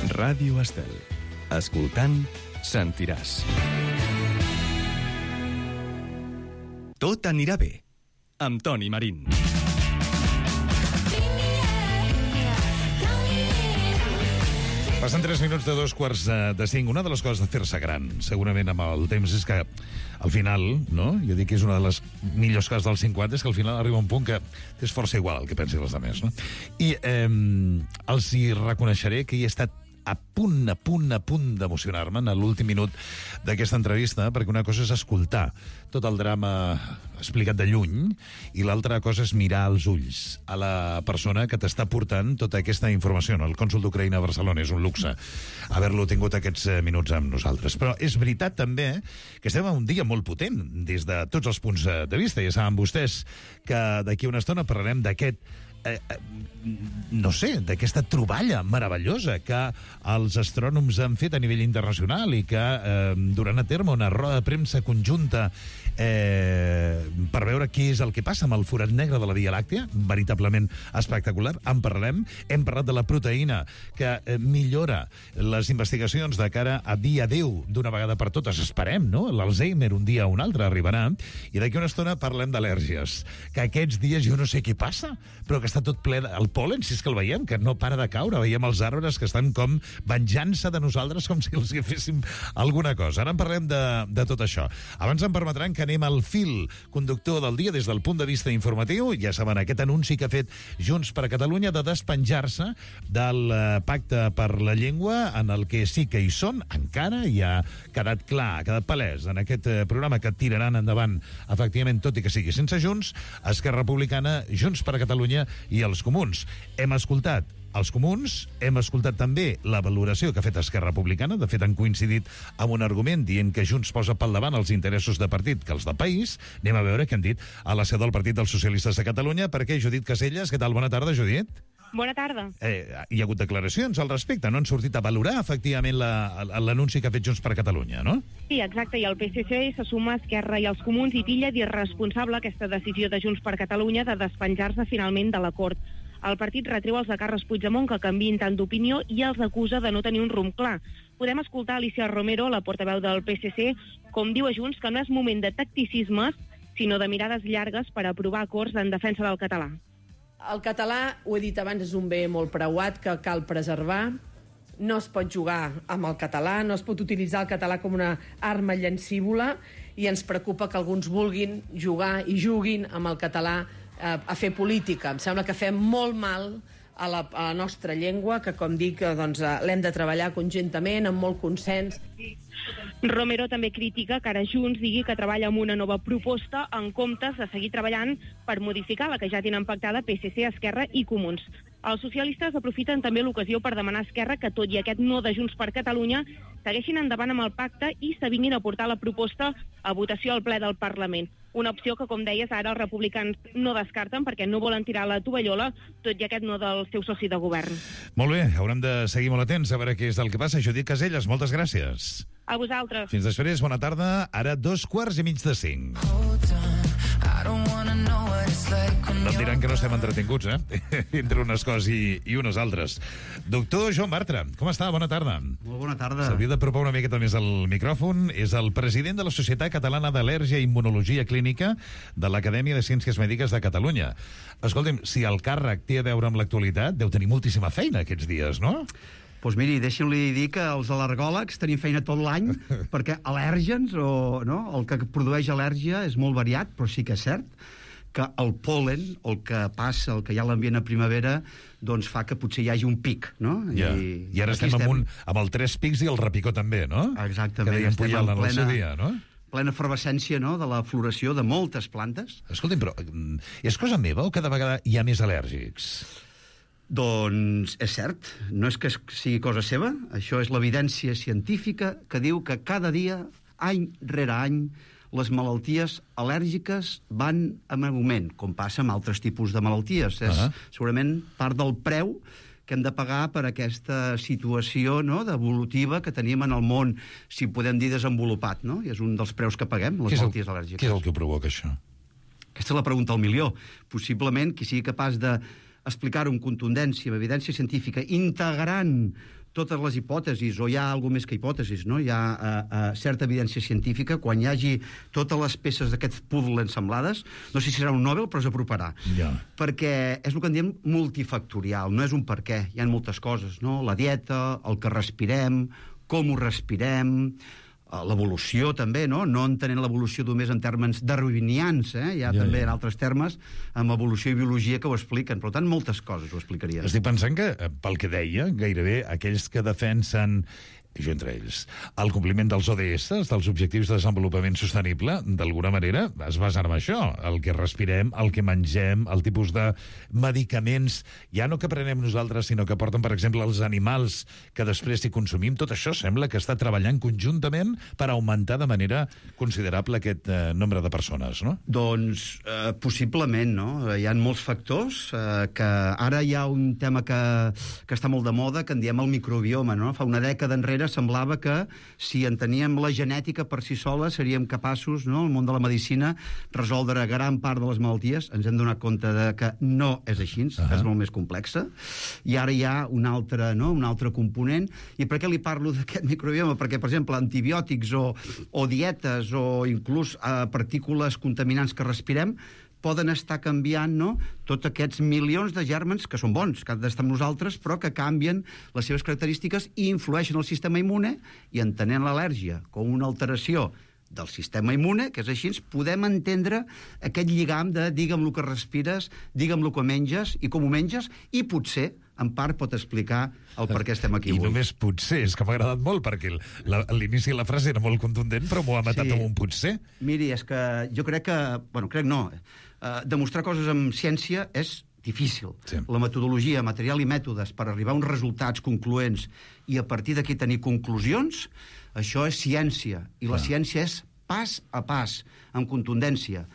Ràdio Estel. Escoltant, sentiràs. Tot anirà bé, amb Toni Marín. Passen 3 minuts de 2:45. Una de les coses de fer-se gran, segurament amb el temps, és que al final, no? Jo dic que és una de les millors coses dels 50, és que al final arriba un punt que és força igual el que pensin els altres, no? I els hi reconeixeré que hi he estat a punt d'emocionar-me en l'últim minut d'aquesta entrevista, perquè una cosa és escoltar tot el drama explicat de lluny i l'altra cosa és mirar als ulls a la persona que t'està portant tota aquesta informació. El cònsol d'Ucraïna a Barcelona és un luxe haver-lo tingut aquests minuts amb nosaltres. Però és veritat també que estem en un dia molt potent des de tots els punts de vista. Ja saben vostès que d'aquí a una estona parlarem d'aquest no sé, d'aquesta troballa meravellosa que els astrònoms han fet a nivell internacional i que duran a terme una roda de premsa conjunta per veure què és el que passa amb el forat negre de la Via Làctea, veritablement espectacular. En parlem. Hem parlat de la proteïna que millora les investigacions de cara a dia 10 d'una vegada per totes. Esperem, no? L'Alzheimer un dia o un altre arribarà. I d'aquí una estona parlem d'al·lèrgies, que aquests dies jo no sé què passa, però que està tot ple el pol·len, si és que el veiem, que no para de caure. Veiem els arbres que estan com venjant-se de nosaltres, com si els féssim alguna cosa. Ara en parlem de tot això. Abans em permetran que anem al fil conductor del dia des del punt de vista informatiu. Ja saben, aquest anunci que ha fet Junts per Catalunya de despenjar-se del Pacte per la Llengua, en el que sí que hi són, encara hi ha quedat clar, ha quedat palès en aquest programa que tiraran endavant, efectivament, tot i que sigui sense Junts, Esquerra Republicana, Junts per Catalunya i els Comuns. Hem escoltat els Comuns, hem escoltat també la valoració que ha fet Esquerra Republicana. De fet, han coincidit amb un argument dient que Junts posa pel davant els interessos de partit que els de país. Anem a veure què han dit a la seu del Partit dels Socialistes de Catalunya. Perquè Judit Caselles, què tal? Bona tarda, Judit. Bona tarda. Hi ha hagut declaracions al respecte, no han sortit a valorar efectivament l'anunci que ha fet Junts per Catalunya, no? Sí, exacte, i el PSC se suma a Esquerra i els Comuns i titlla d'irresponsable aquesta decisió de Junts per Catalunya de despenjar-se finalment de l'acord. El partit retreu als de Carles Puigdemont que canviïn tant d'opinió i els acusa de no tenir un rumb clar. Podem escoltar Alicia Romero, la portaveu del PSC, com diu a Junts que no és moment de tacticismes, sinó de mirades llargues per aprovar acords en defensa del català. El català, ho he dit abans, és un bé molt preuat que cal preservar. No es pot jugar amb el català, no es pot utilitzar el català com una arma llancívola i ens preocupa que alguns vulguin jugar i juguin amb el català a fer política. Em sembla que fem molt mal a la nostra llengua, que, com dic, doncs, l'hem de treballar conjuntament, amb molt consens. Romero també critica que ara Junts digui que treballa amb una nova proposta en comptes de seguir treballant per modificar la que ja tenen pactada PSC, Esquerra i Comuns. Els socialistes aprofiten també l'ocasió per demanar a Esquerra que, tot i aquest no de Junts per Catalunya, segueixin endavant amb el pacte i s'avinguin a portar la proposta a votació al ple del Parlament. Una opció que, com deies, ara els republicans no descarten perquè no volen tirar la tovallola, tot i aquest no del seu soci de govern. Molt bé, haurem de seguir molt atents a veure què és el que passa. Judit Caselles, moltes gràcies. A vosaltres. Fins després, bona tarda. Ara 5:15. No em diran que no estem entretinguts, entre unes coses i unes altres. Doctor Joan Bartra, com està? Bona tarda. Molt bona tarda. S'hauria d'apropar una miqueta més al micròfon. És el president de la Societat Catalana d'Al·lèrgia i Immunologia Clínica de l'Acadèmia de Ciències Mèdiques de Catalunya. Escolti'm, si el càrrec té a veure amb l'actualitat, deu tenir moltíssima feina aquests dies, no? Doncs miri, deixi'm-li dir que els al·lergòlegs tenim feina tot l'any, perquè al·lèrgens, el que produeix al·lèrgia és molt variat, però sí que és cert que el pol·len, el que passa, el que hi ha a l'ambient a primavera, doncs fa que potser hi hagi un pic, no? Ja. I ara estem amb el 3 pics i el repicó també, no? Exactament. Que deien Pujol en el seu dia, no? Plena efervescència, no?, de la floració de moltes plantes. Escolti'm, però és cosa meva o cada vegada hi ha més al·lèrgics? Doncs és cert, no és que sigui cosa seva, això és l'evidència científica que diu que cada dia, any rere any, les malalties al·lèrgiques van en augment, com passa amb altres tipus de malalties. És segurament part del preu que hem de pagar per aquesta situació, no?, evolutiva que tenim en el món, si podem dir desenvolupat, no? I és un dels preus que paguem, les malalties al·lèrgiques. Què és el que provoca això? Aquesta és la pregunta al milió. Possiblement qui sigui capaç de explicar-ho amb contundència, amb evidència científica, integrant totes les hipòtesis, o hi ha alguna més que hipòtesis, no? Hi ha certa evidència científica, quan hi hagi totes les peces d'aquest puzzle ensemblades, no sé si serà un Nobel, però s'aproparà. Perquè és el que en diem multifactorial, no és un per què, hi ha moltes coses, no? La dieta, el que respirem, com ho respirem, l'evolució també, no entenent l'evolució només en termes darwinians, hi ha també en altres termes, amb evolució i biologia que ho expliquen, per tant moltes coses ho explicarien. Estic pensant que, pel que deia, gairebé aquells que defensen i jo entre ells. El compliment dels ODS, dels Objectius de Desenvolupament Sostenible, d'alguna manera es basa en això, el que respirem, el que mengem, el tipus de medicaments, ja no que prenem nosaltres, sinó que porten, per exemple, els animals que després hi consumim. Tot això sembla que està treballant conjuntament per augmentar de manera considerable aquest nombre de persones, no? Doncs possiblement, no? Hi ha molts factors, que ara hi ha un tema que està molt de moda, que en diem el microbioma, no? Fa una dècada enrere semblava que si en teníem la genètica per si sola seríem capaços, no, el món de la medicina, resoldre gran part de les malalties. Ens hem donat compte de que no és així, és molt més complexa. I ara hi ha un altre component. I per què li parlo d'aquest microbioma? Perquè, per exemple, antibiòtics o dietes o inclús partícules contaminants que respirem poden estar canviant, no?, tots aquests milions de gèrmens que són bons, que han d'estar amb nosaltres, però que canvien les seves característiques i influeixen el sistema immune, i entenent l'al·lèrgia com una alteració del sistema immune, que és així, podem entendre aquest lligam de digue'm el que respires, digue'm el que menges i com ho menges, i potser en part pot explicar el per què estem aquí avui. I només potser, és que m'ha agradat molt, perquè l'inici de la frase era molt contundent, però m'ho ha matat amb un potser. Miri, és que jo crec que... Bueno, crec no. Demostrar coses amb ciència és difícil. Sí. La metodologia, material i mètodes per arribar a uns resultats concloents i a partir d'aquí tenir conclusions, això és ciència. I la ciència és pas a pas, amb contundència.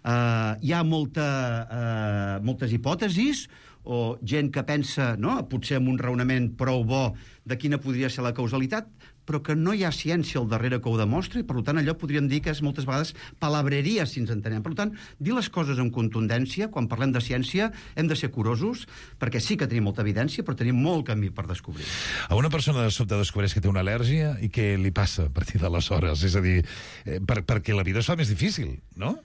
Hi ha moltes hipòtesis o gent que pensa, no?, potser amb un raonament prou bo de quina podria ser la causalitat, però que no hi ha ciència al darrere que ho demostri, i per tant allò podríem dir que és moltes vegades palabreria, si ens entenem. Per tant, dir les coses amb contundència, quan parlem de ciència, hem de ser curosos, perquè sí que tenim molta evidència, però tenim molt camí per descobrir. A una persona de sobte descobreix que té una al·lèrgia i què li passa a partir d'aleshores? És a dir, perquè la vida es fa més difícil, no?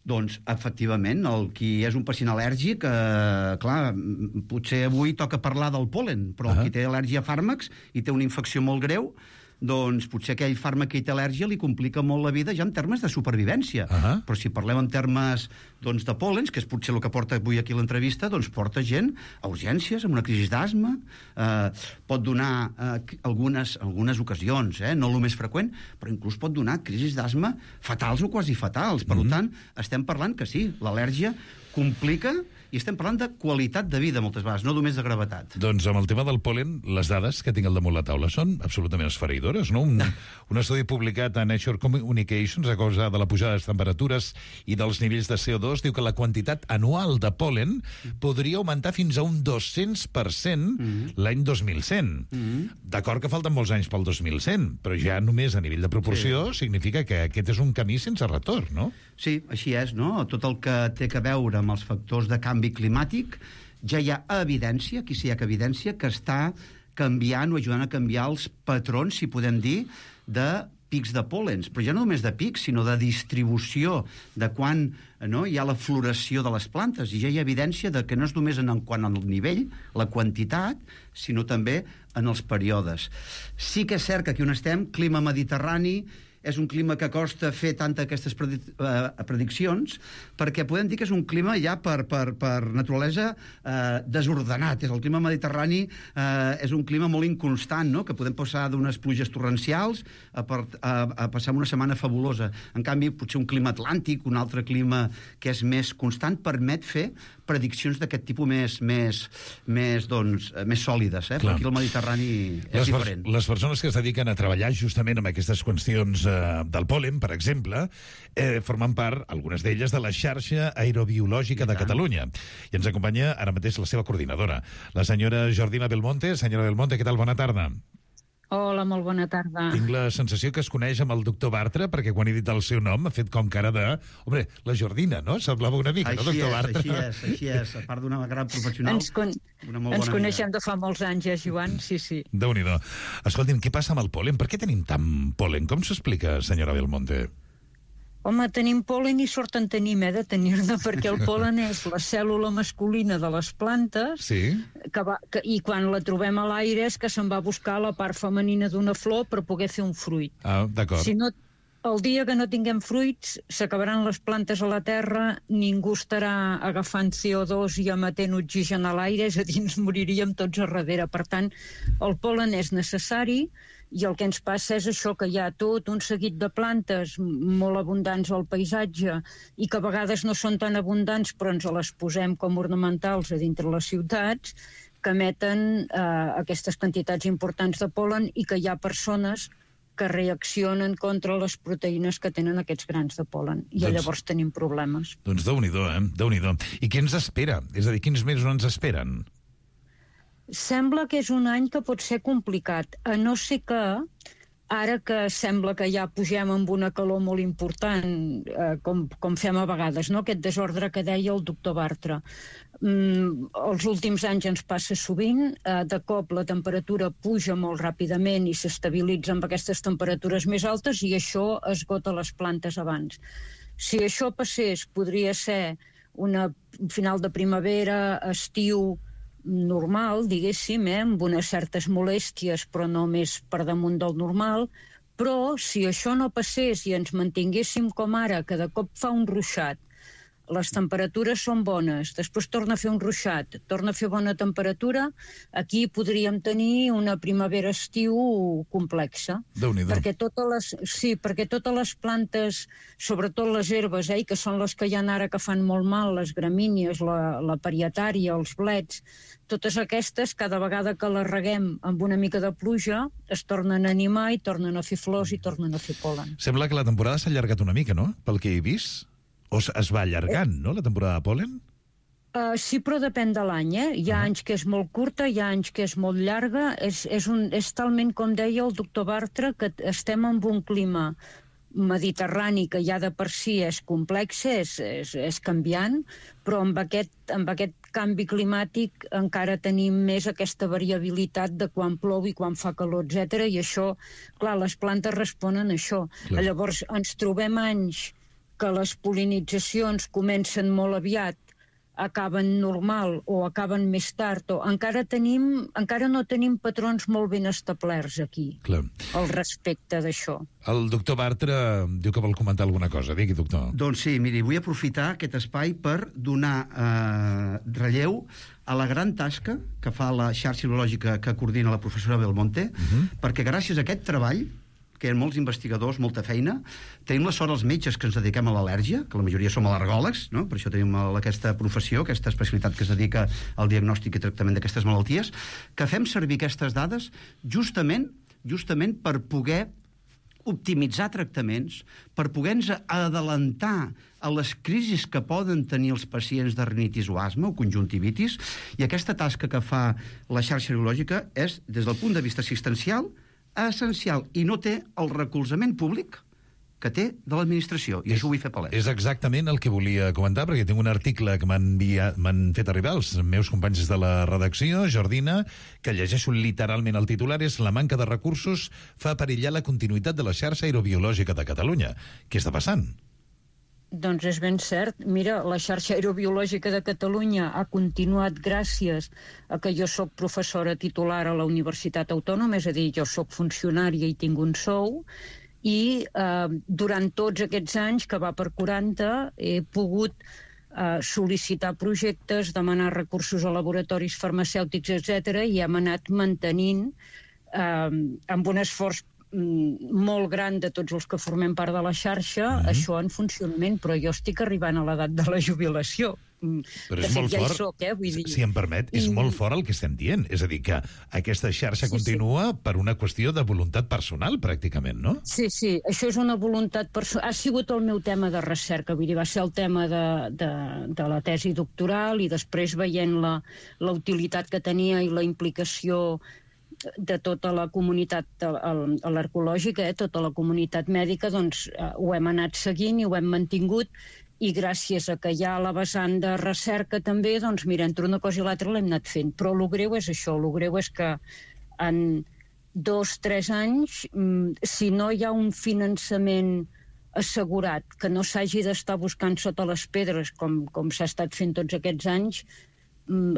Doncs, efectivament, el qui és un pacient al·lèrgic, clar, potser avui toca parlar del pol·len, però el qui té al·lèrgia a fàrmacs i té una infecció molt greu, doncs potser aquell fàrmac que hi té al·lèrgia li complica molt la vida ja en termes de supervivència. Però si parlem en termes de pòl·lens, que és potser el que porta avui aquí l'entrevista, doncs porta gent a urgències amb una crisi d'asma, pot donar algunes ocasions, no el més freqüent, però inclús pot donar crisis d'asma fatals o quasi fatals. Per tant, estem parlant que sí, l'al·lèrgia complica, i estem parlant de qualitat de vida moltes vegades, no només de gravetat. Doncs amb el tema del pol·len, les dades que tinc al damunt la taula són absolutament esfereïdores, no? Un estudi publicat a Nature Communications a causa de la pujada de les temperatures i dels nivells de CO2 diu que la quantitat anual de pol·len podria augmentar fins a un 200% l'any 2100. D'acord que falten molts anys pel 2100, però ja només a nivell de proporció significa que aquest és un camí sense retorn, no? Sí, així és, no? Tot el que té a veure amb els factors de canvi climàtic, ja hi ha evidència, aquí sí hi ha evidència, que està canviant o ajudant a canviar els patrons, si podem dir, de pics de pòl·lens, però ja no només de pics, sinó de distribució, de quan hi ha la floració de les plantes, i ja hi ha evidència de que no és només en quant al nivell, la quantitat, sinó també en els períodes. Sí que és cert que aquí on estem, clima mediterrani, és un clima que costa fer tantes aquestes prediccions, perquè podem dir que és un clima ja per naturalesa desordenat. El clima mediterrani és un clima molt inconstant, no?, que podem passar d'unes pluges torrencials a passar una setmana fabulosa. En canvi, potser un clima atlàntic, un altre clima que és més constant, permet fer prediccions d'aquest tipus més sòlides, però aquí el Mediterrani és diferent. Les persones que es dediquen a treballar justament amb aquestes qüestions del pol·len, per exemple, formen part, algunes d'elles, de la xarxa aerobiològica de Catalunya. I ens acompanya ara mateix la seva coordinadora, la senyora Jordina Belmonte. Senyora Belmonte, què tal? Bona tarda. Hola, molt bona tarda. Tinc la sensació que es coneix amb el doctor Bartra, perquè quan he dit el seu nom ha fet com cara de... Hombre, la Jordina, no? Semblava una mica, no, doctor Bartra? Així és. A part d'una gran professional, una molt bona Ens coneixem de fa molts anys, Joan, sí. Déu-n'hi-do. Escolti'm, què passa amb el pol·len? Per què tenim tant pol·len? Com s'explica, senyora Belmonte? Home, tenim pol·len i sort en tenim, de tenir-ne, perquè el pol·len és la cèl·lula masculina de les plantes, i quan la trobem a l'aire és que se'n va a buscar la part femenina d'una flor per poder fer un fruit. Ah, d'acord. El dia que no tinguem fruits, s'acabaran les plantes a la terra, ningú estarà agafant CO2 i emetent oxigen a l'aire, és a dir, ens moriríem tots a darrere. Per tant, el pol·len és necessari i el que ens passa és això, que hi ha tot un seguit de plantes molt abundants al paisatge i que a vegades no són tan abundants, però ens les posem com ornamentals a dintre les ciutats, que emeten aquestes quantitats importants de pol·len i que hi ha persones que reaccionen contra les proteïnes que tenen aquests grans de pol·len. I llavors tenim problemes. Doncs Déu-n'hi-do, Déu-n'hi-do. I què ens espera? És a dir, quins mesos ens esperen? Sembla que és un any que pot ser complicat, a no ser que, ara que sembla que ja pugem amb una calor molt important, com fem a vegades, no? Aquest desordre que deia el doctor Bartra. Els últims anys ens passa sovint, de cop la temperatura puja molt ràpidament i s'estabilitza amb aquestes temperatures més altes i això esgota les plantes abans. Si això passés, podria ser un final de primavera, estiu normal, diguéssim, amb unes certes molèsties, però no més per damunt del normal, però si això no passés i ens mantinguéssim com ara, que de cop fa un ruixat, les temperatures són bones, després torna a fer un ruixat, torna a fer bona temperatura, aquí podríem tenir una primavera-estiu complexa. Déu-n'hi-do. Perquè totes les plantes, sobretot les herbes, que són les que hi ha ara que fan molt mal, les gramínies, la parietària, els blets, totes aquestes, cada vegada que les reguem amb una mica de pluja, es tornen a animar i tornen a fer flors i tornen a fer pol·len. Sembla que la temporada s'ha allargat una mica, no?, pel que he vist. O es va allargant, no?, la temporada de pol·len? Sí, però depèn de l'any, Hi ha anys que és molt curta, hi ha anys que és molt llarga. És talment, com deia el doctor Bartra, que estem en un clima mediterrani que ja de per si és complex, és canviant, però amb aquest canvi climàtic encara tenim més aquesta variabilitat de quan plou i quan fa calor, etc. I això, clar, les plantes responen a això. Clar. Llavors ens trobem anys que les pol·linitzacions comencen molt aviat, acaben normal o acaben més tard, o encara no tenim patrons molt ben establerts aquí, al respecte d'això. El doctor Bartra diu que vol comentar alguna cosa. Digui, doctor. Doncs sí, miri, vull aprofitar aquest espai per donar relleu a la gran tasca que fa la xarxa biològica que coordina la professora Belmonte, perquè gràcies a aquest treball, que hi ha molts investigadors, molta feina. Tenim la sort els metges que ens dediquem a l'al·lèrgia, que la majoria som al·lergòlegs, no? Per això tenim aquesta professió, aquesta especialitat que es dedica al diagnòstic i tractament d'aquestes malalties, que fem servir aquestes dades justament per poder optimitzar tractaments, per poder-nos adelantar a les crisis que poden tenir els pacients de rinitis o asma o conjuntivitis, i aquesta tasca que fa la xarxa biològica és, des del punt de vista assistencial, essencial, i no té el recolzament públic que té de l'administració, i això ho vull fer palès. És exactament el que volia comentar, perquè tinc un article que m'han fet arribar els meus companys de la redacció, Jordina, que llegeixo literalment el titular, és la manca de recursos fa perillar la continuïtat de la xarxa aerobiològica de Catalunya. Què està passant? Doncs és ben cert. Mira, la xarxa aerobiològica de Catalunya ha continuat gràcies a que jo sóc professora titular a la Universitat Autònoma, és a dir, jo sóc funcionària i tinc un sou, i durant tots aquests anys, que va per 40, he pogut sol·licitar projectes, demanar recursos a laboratoris farmacèutics, etc., i hem anat mantenint amb un esforç molt gran de tots els que formem part de la xarxa, això en funcionament, però jo estic arribant a l'edat de la jubilació. Però és molt fort, vull dir. Si em permet, és molt fort el que estem dient. És a dir, que aquesta xarxa continua per una qüestió de voluntat personal, pràcticament, no? Sí, això és una voluntat personal. Ha sigut el meu tema de recerca, vull dir, va ser el tema de la tesi doctoral, i després veient la utilitat que tenia i la implicació de tota la comunitat al·lergològica, tota la comunitat mèdica, doncs ho hem anat seguint i ho hem mantingut, i gràcies a que hi ha la vessant de recerca també, doncs mira, entre una cosa i l'altra l'hem anat fent. Però el greu és això, el greu és que en 2-3 anys, si no hi ha un finançament assegurat, que no s'hagi d'estar buscant sota les pedres, com s'ha estat fent tots aquests anys,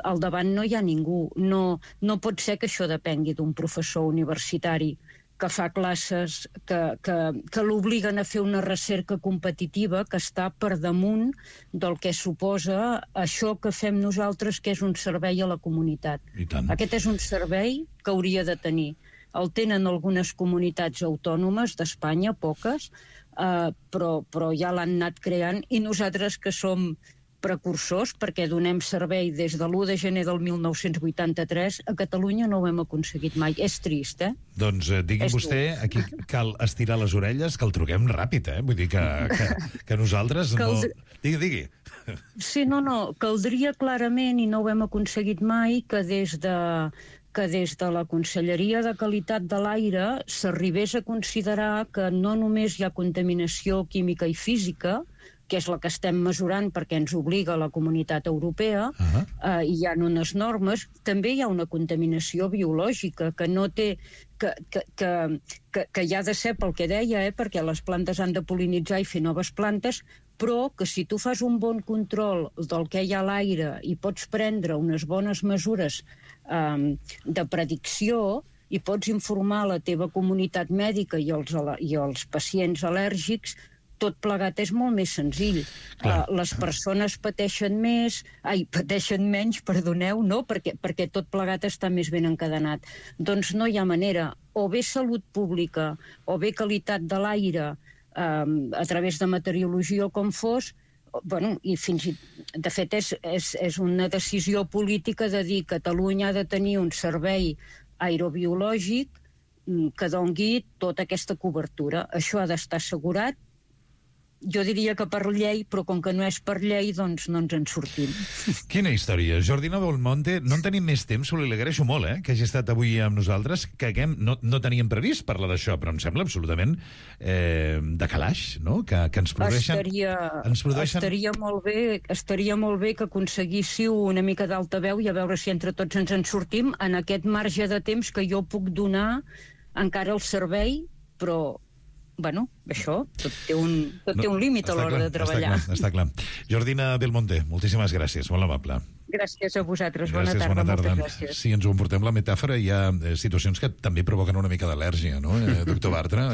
al davant no hi ha ningú. No pot ser que això depengui d'un professor universitari. que fa classes, que l'obliguen a fer una recerca competitiva que està per damunt del que suposa això que fem nosaltres, que és un servei a la comunitat. Aquest és un servei que hauria de tenir. El tenen algunes comunitats autònomes d'Espanya, poques, però ja l'han anat creant, i nosaltres que som precursors, perquè donem servei des de l'1 de gener del 1983, a Catalunya no ho hem aconseguit mai. És trist, Doncs digui vostè, aquí cal estirar les orelles, que el truquem ràpid, Vull dir que nosaltres no... Digui. Sí, no, caldria clarament, i no ho hem aconseguit mai, que des de la Conselleria de Qualitat de l'Aire s'arribés a considerar que no només hi ha contaminació química i física, que és la que estem mesurant perquè ens obliga la Comunitat Europea, hi ha unes normes, també hi ha una contaminació biològica que no té... que hi ha de ser pel que deia, perquè les plantes han de pol·linitzar i fer noves plantes, però que si tu fas un bon control del que hi ha a l'aire i pots prendre unes bones mesures de predicció i pots informar la teva comunitat mèdica i els pacients al·lèrgics, tot plegat és molt més senzill. Les persones pateixen menys, no? Perquè tot plegat està més ben encadenat. Doncs no hi ha manera. O bé salut pública, o bé qualitat de l'aire, a través de meteorologia o com fos, i de fet és una decisió política de dir que Catalunya ha de tenir un servei aerobiològic que doni tota aquesta cobertura. Això ha d'estar assegurat. Jo diria que per llei, però com que no és per llei, doncs no ens en sortim. Quina història. Jordina Belmonte, no en tenim més temps, li agraeixo molt, que hagi estat avui amb nosaltres, que no teníem previst parlar d'això, però em sembla absolutament de calaix, no? Que ens produeixen... Estaria molt bé que aconseguíssiu una mica d'altaveu i a veure si entre tots ens en sortim en aquest marge de temps que jo puc donar encara al servei, però... això, tot té un límit a l'hora de treballar. Està clar. Jordina Belmonte, moltíssimes gràcies, molt amable. Gràcies a vosaltres, bona tarda. Moltes gràcies. Si ens ho emportem la metàfora, hi ha situacions que també provoquen una mica d'al·lèrgia, no, doctor Bartra?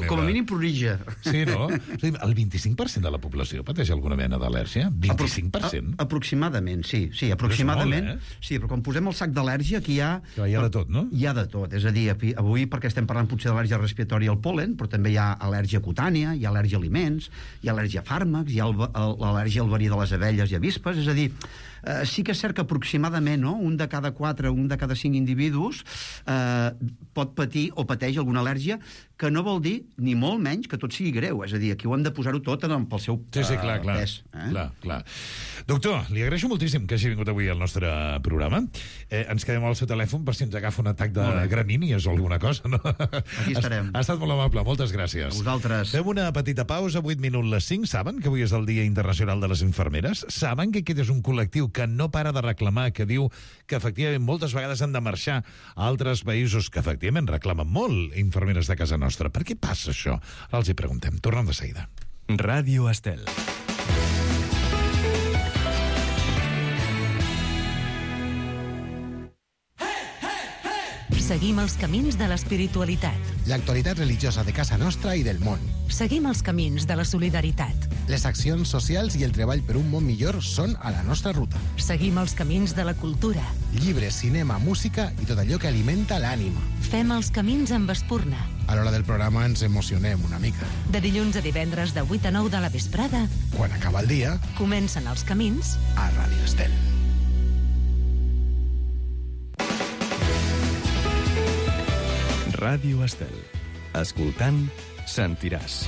Com a mínim prorija. Sí, no? El 25% de la població pateix alguna mena d'al·lèrgia? 25%? Aproximadament, sí, aproximadament. Sí, però quan posem el sac d'al·lèrgia, aquí hi ha... Hi ha de tot, no? Hi ha de tot, és a dir, avui perquè estem parlant potser d'al·lèrgia respiratori al pol·len, però també hi ha al·lèrgia cutània, hi ha al·lèrgia a aliments, hi ha al·lèrgia a fàrmacs, hi ha l'al·lèrgia al verí de les abelles i avispes, és a dir, sí que és cert que aproximadament un de cada 4, un de cada 5 individus pot patir o pateix alguna al·lèrgia, que no vol dir ni molt menys que tot sigui greu. És a dir, aquí ho hem de posar-ho tot pel seu pes. Clar. Doctor, li agraeixo moltíssim que hagi vingut avui al nostre programa. Ens quedem al seu telèfon per si ens agafa un atac de gramínies o alguna cosa, no? Aquí estarem. Ha estat molt amable, moltes gràcies. A vosaltres. Fem una petita pausa, 8 minuts les 5. Saben que avui és el Dia Internacional de les Infermeres? Saben que aquest és un col·lectiu que no para de reclamar, que diu que efectivament moltes vegades han de marxar a altres països que efectivament reclamen molt infermeres de casa nostra. Per què passa això? Ara els hi preguntem. Tornem de seguida. Ràdio Estel. Seguim els camins de l'espiritualitat. L'actualitat religiosa de casa nostra i del món. Seguim els camins de la solidaritat. Les accions socials i el treball per un món millor són a la nostra ruta. Seguim els camins de la cultura. Llibres, cinema, música i tot allò que alimenta l'ànima. Fem els camins amb espurna. A l'hora del programa ens emocionem una mica. De dilluns a divendres de 8 a 9 de la vesprada. Quan acaba el dia, comencen els camins a Ràdio Estel. Ràdio Estel. Escoltant, sentiràs.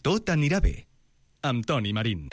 Tot anirà bé. Amb Toni Marín.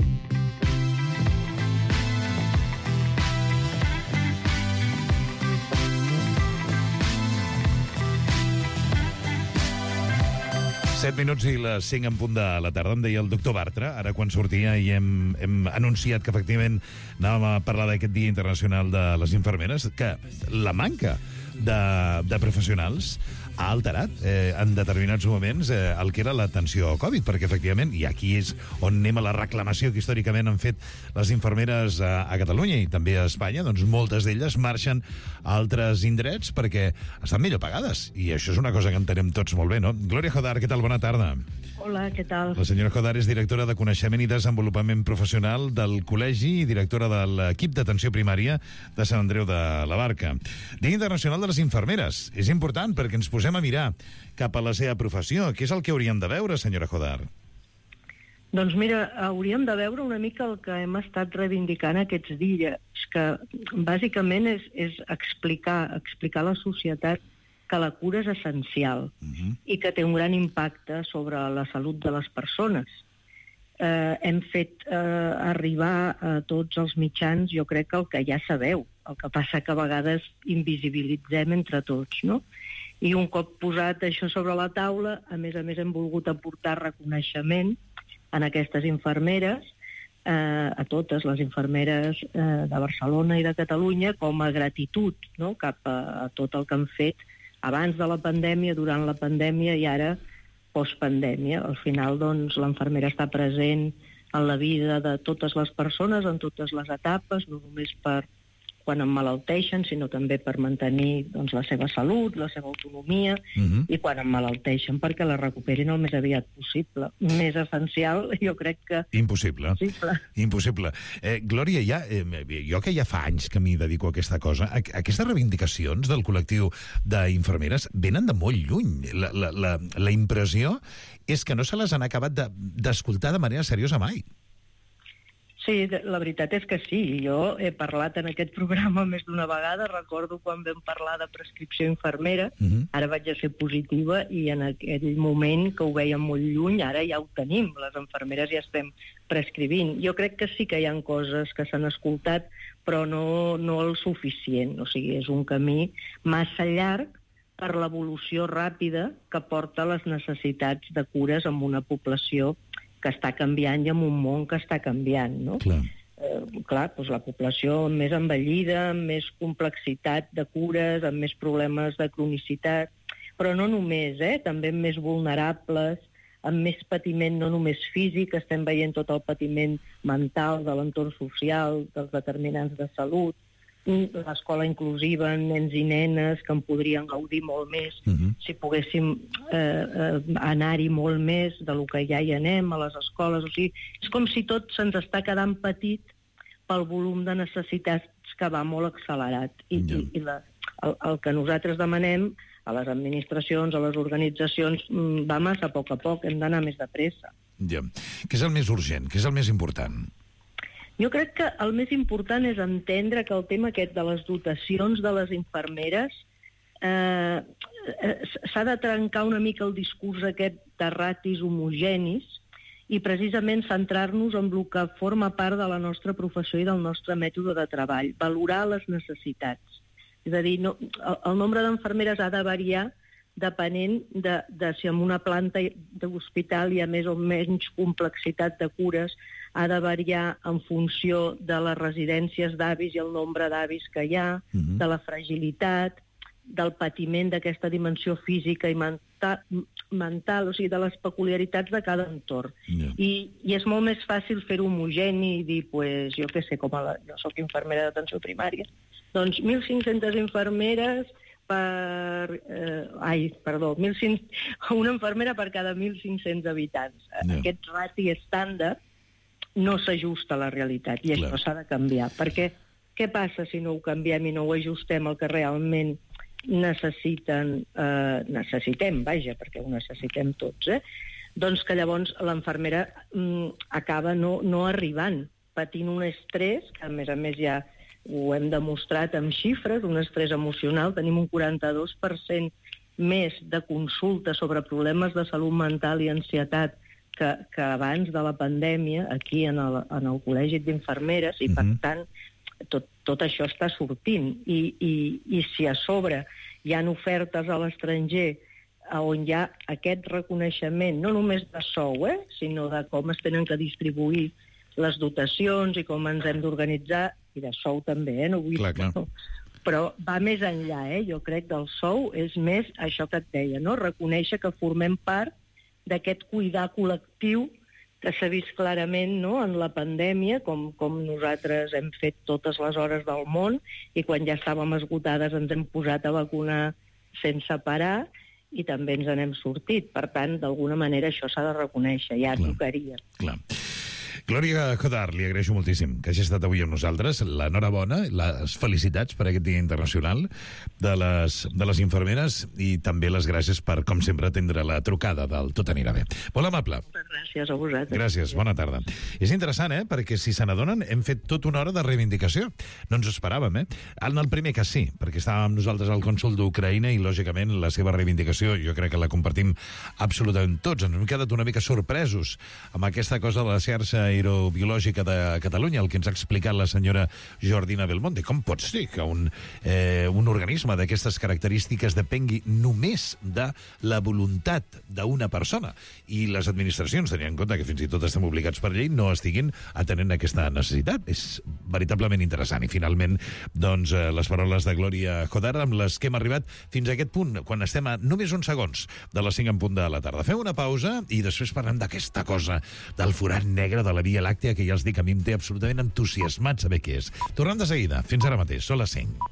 Set minuts i les 5 en punt de la tarda. Em deia el doctor Bartra, ara quan sortia i hem anunciat que efectivament anàvem a parlar d'aquest Dia Internacional de les Infermeres, que la manca de professionals ha alterat en determinats moments el que era l'atenció Covid, perquè efectivament, i aquí és on anem a la reclamació que històricament han fet les infermeres a Catalunya i també a Espanya, doncs moltes d'elles marxen a altres indrets perquè estan millor pagades, i això és una cosa que entenem tots molt bé, no? Glòria Jodar, què tal? Bona tarda. Hola, què tal? La senyora Jodar és directora de Coneixement i Desenvolupament Professional del Col·legi i directora de l'equip d'atenció primària de Sant Andreu de la Barca. Dia Internacional de les Infermeres. És important perquè ens posem a mirar cap a la seva professió. Què és el que hauríem de veure, senyora Jodar? Doncs mira, hauríem de veure una mica el que hem estat reivindicant aquests dies, que bàsicament és explicar a la societat que la cura és essencial i que té un gran impacte sobre la salut de les persones. Hem fet arribar a tots els mitjans, jo crec que el que ja sabeu, el que passa que a vegades invisibilitzem entre tots, no? I un cop posat això sobre la taula, a més hem volgut aportar reconeixement a aquestes infermeres, a totes les infermeres de Barcelona i de Catalunya, com a gratitud, no?, cap a tot el que han fet abans de la pandèmia, durant la pandèmia i ara postpandèmia. Al final, doncs, l'infermera està present en la vida de totes les persones, en totes les etapes, no només per quan emmalalteixen, sinó també per mantenir doncs, la seva salut, la seva autonomia, i quan emmalalteixen perquè la recuperin el més aviat possible. Més essencial, jo crec que... Impossible. Glòria, jo que ja fa anys que m'hi dedico a aquesta cosa, aquestes reivindicacions del col·lectiu d'infermeres venen de molt lluny. La impressió és que no se les han acabat d'escoltar de manera seriosa mai. Sí, la veritat és que sí. Jo he parlat en aquest programa més d'una vegada. Recordo quan vam parlar de prescripció infermera, ara vaig a ser positiva, i en aquell moment que ho veiem molt lluny, ara ja ho tenim. Les infermeres ja estem prescrivint. Jo crec que sí que hi ha coses que s'han escoltat, però no el suficient. O sigui, és un camí massa llarg per l'evolució ràpida que porta les necessitats de cures en una població que està canviant i en un món que està canviant, no? Clar, doncs la població més envellida, amb més complexitat de cures, amb més problemes de cronicitat, però no només, també més vulnerables, amb més patiment no només físic, estem veient tot el patiment mental de l'entorn social, dels determinants de salut, l'escola inclusiva, nens i nenes que en podrien gaudir molt més si poguéssim anar-hi molt més de lo que ja hi anem a les escoles. O sigui, és com si tot se'ns està quedant petit pel volum de necessitats que va molt accelerat. I el que nosaltres demanem a les administracions, a les organitzacions, va massa a poc, hem d'anar més de pressa. Ja. Què és el més urgent? Què és el més important? Jo crec que el més important és entendre que el tema aquest de les dotacions de les infermeres s'ha de trencar una mica el discurs aquest de ratis homogenis i precisament centrar-nos en el que forma part de la nostra professió i del nostre mètode de treball, valorar les necessitats. És a dir, el nombre d'infermeres ha de variar depenent de si en una planta d'hospital hi ha més o menys complexitat de cures, ha de variar en funció de les residències d'avis i el nombre d'avis que hi ha, de la fragilitat, del patiment d'aquesta dimensió física i mental, o sigui, de les peculiaritats de cada entorn. I és molt més fàcil fer-ho homogeni i dir, pues, jo què sé, jo soc infermera d'atenció primària, doncs 1.500 infermeres una infermera per cada 1.500 habitants. Aquest rati estàndard no s'ajusta a la realitat i això s'ha de canviar. Perquè què passa si no ho canviem i no ho ajustem al que realment necessitem, perquè ho necessitem tots, doncs que llavors l'infermera acaba no arribant, patint un estrès, que a més ja ho hem demostrat amb xifres, un estrès emocional. Tenim un 42% més de consultes sobre problemes de salut mental i ansietat que abans de la pandèmia aquí en el Col·legi d'Infermeres, i per tant tot això està sortint. I si a sobre hi ha ofertes a l'estranger on hi ha aquest reconeixement, no només de sou, sinó de com es tenen que distribuir les dotacions i com ens hem d'organitzar, i de sou també, no vull dir. Però va més enllà, jo crec, del sou, és més això que et deia, no? Reconèixer que formem part d'aquest cuidar col·lectiu que s'ha vist clarament, no?, en la pandèmia, com nosaltres hem fet totes les hores del món, i quan ja estàvem esgotades ens hem posat a vacunar sense parar, i també ens n'hem sortit. Per tant, d'alguna manera això s'ha de reconèixer, ja tocaria. Clar. Glòria Codar, li agraeixo moltíssim que hagi estat avui amb nosaltres. L'enhorabona, les felicitats per aquest Dia Internacional de les infermeres i també les gràcies per, com sempre, atendre la trucada del Tot anirà bé. Molt amable. Moltes gràcies a vosaltres. Gràcies, bona tarda. És interessant, perquè si se n'adonen, hem fet tota una hora de reivindicació. No ens ho esperàvem, En el primer cas sí, perquè estàvem nosaltres al cònsol d'Ucraïna i, lògicament, la seva reivindicació jo crec que la compartim absolutament tots. Ens hem quedat una mica sorpresos amb aquesta cosa de la xarxa aerobiològica de Catalunya, el que ens ha explicat la senyora Jordina Belmonte. Com pot ser que un organisme d'aquestes característiques depengui només de la voluntat d'una persona i les administracions, tenint en compte que fins i tot estem obligats per llei, no estiguin atenent aquesta necessitat? És veritablement interessant. I finalment, doncs, les paraules de Glòria Codar amb les que hem arribat fins a aquest punt, quan estem a només uns segons de les 5 en punt de la tarda. Fem una pausa i després parlem d'aquesta cosa del forat negre de la Via Làctea, que ja els dic, a mi em té absolutament entusiasmat saber què és. Tornem de seguida. Fins ara mateix. Són les 5.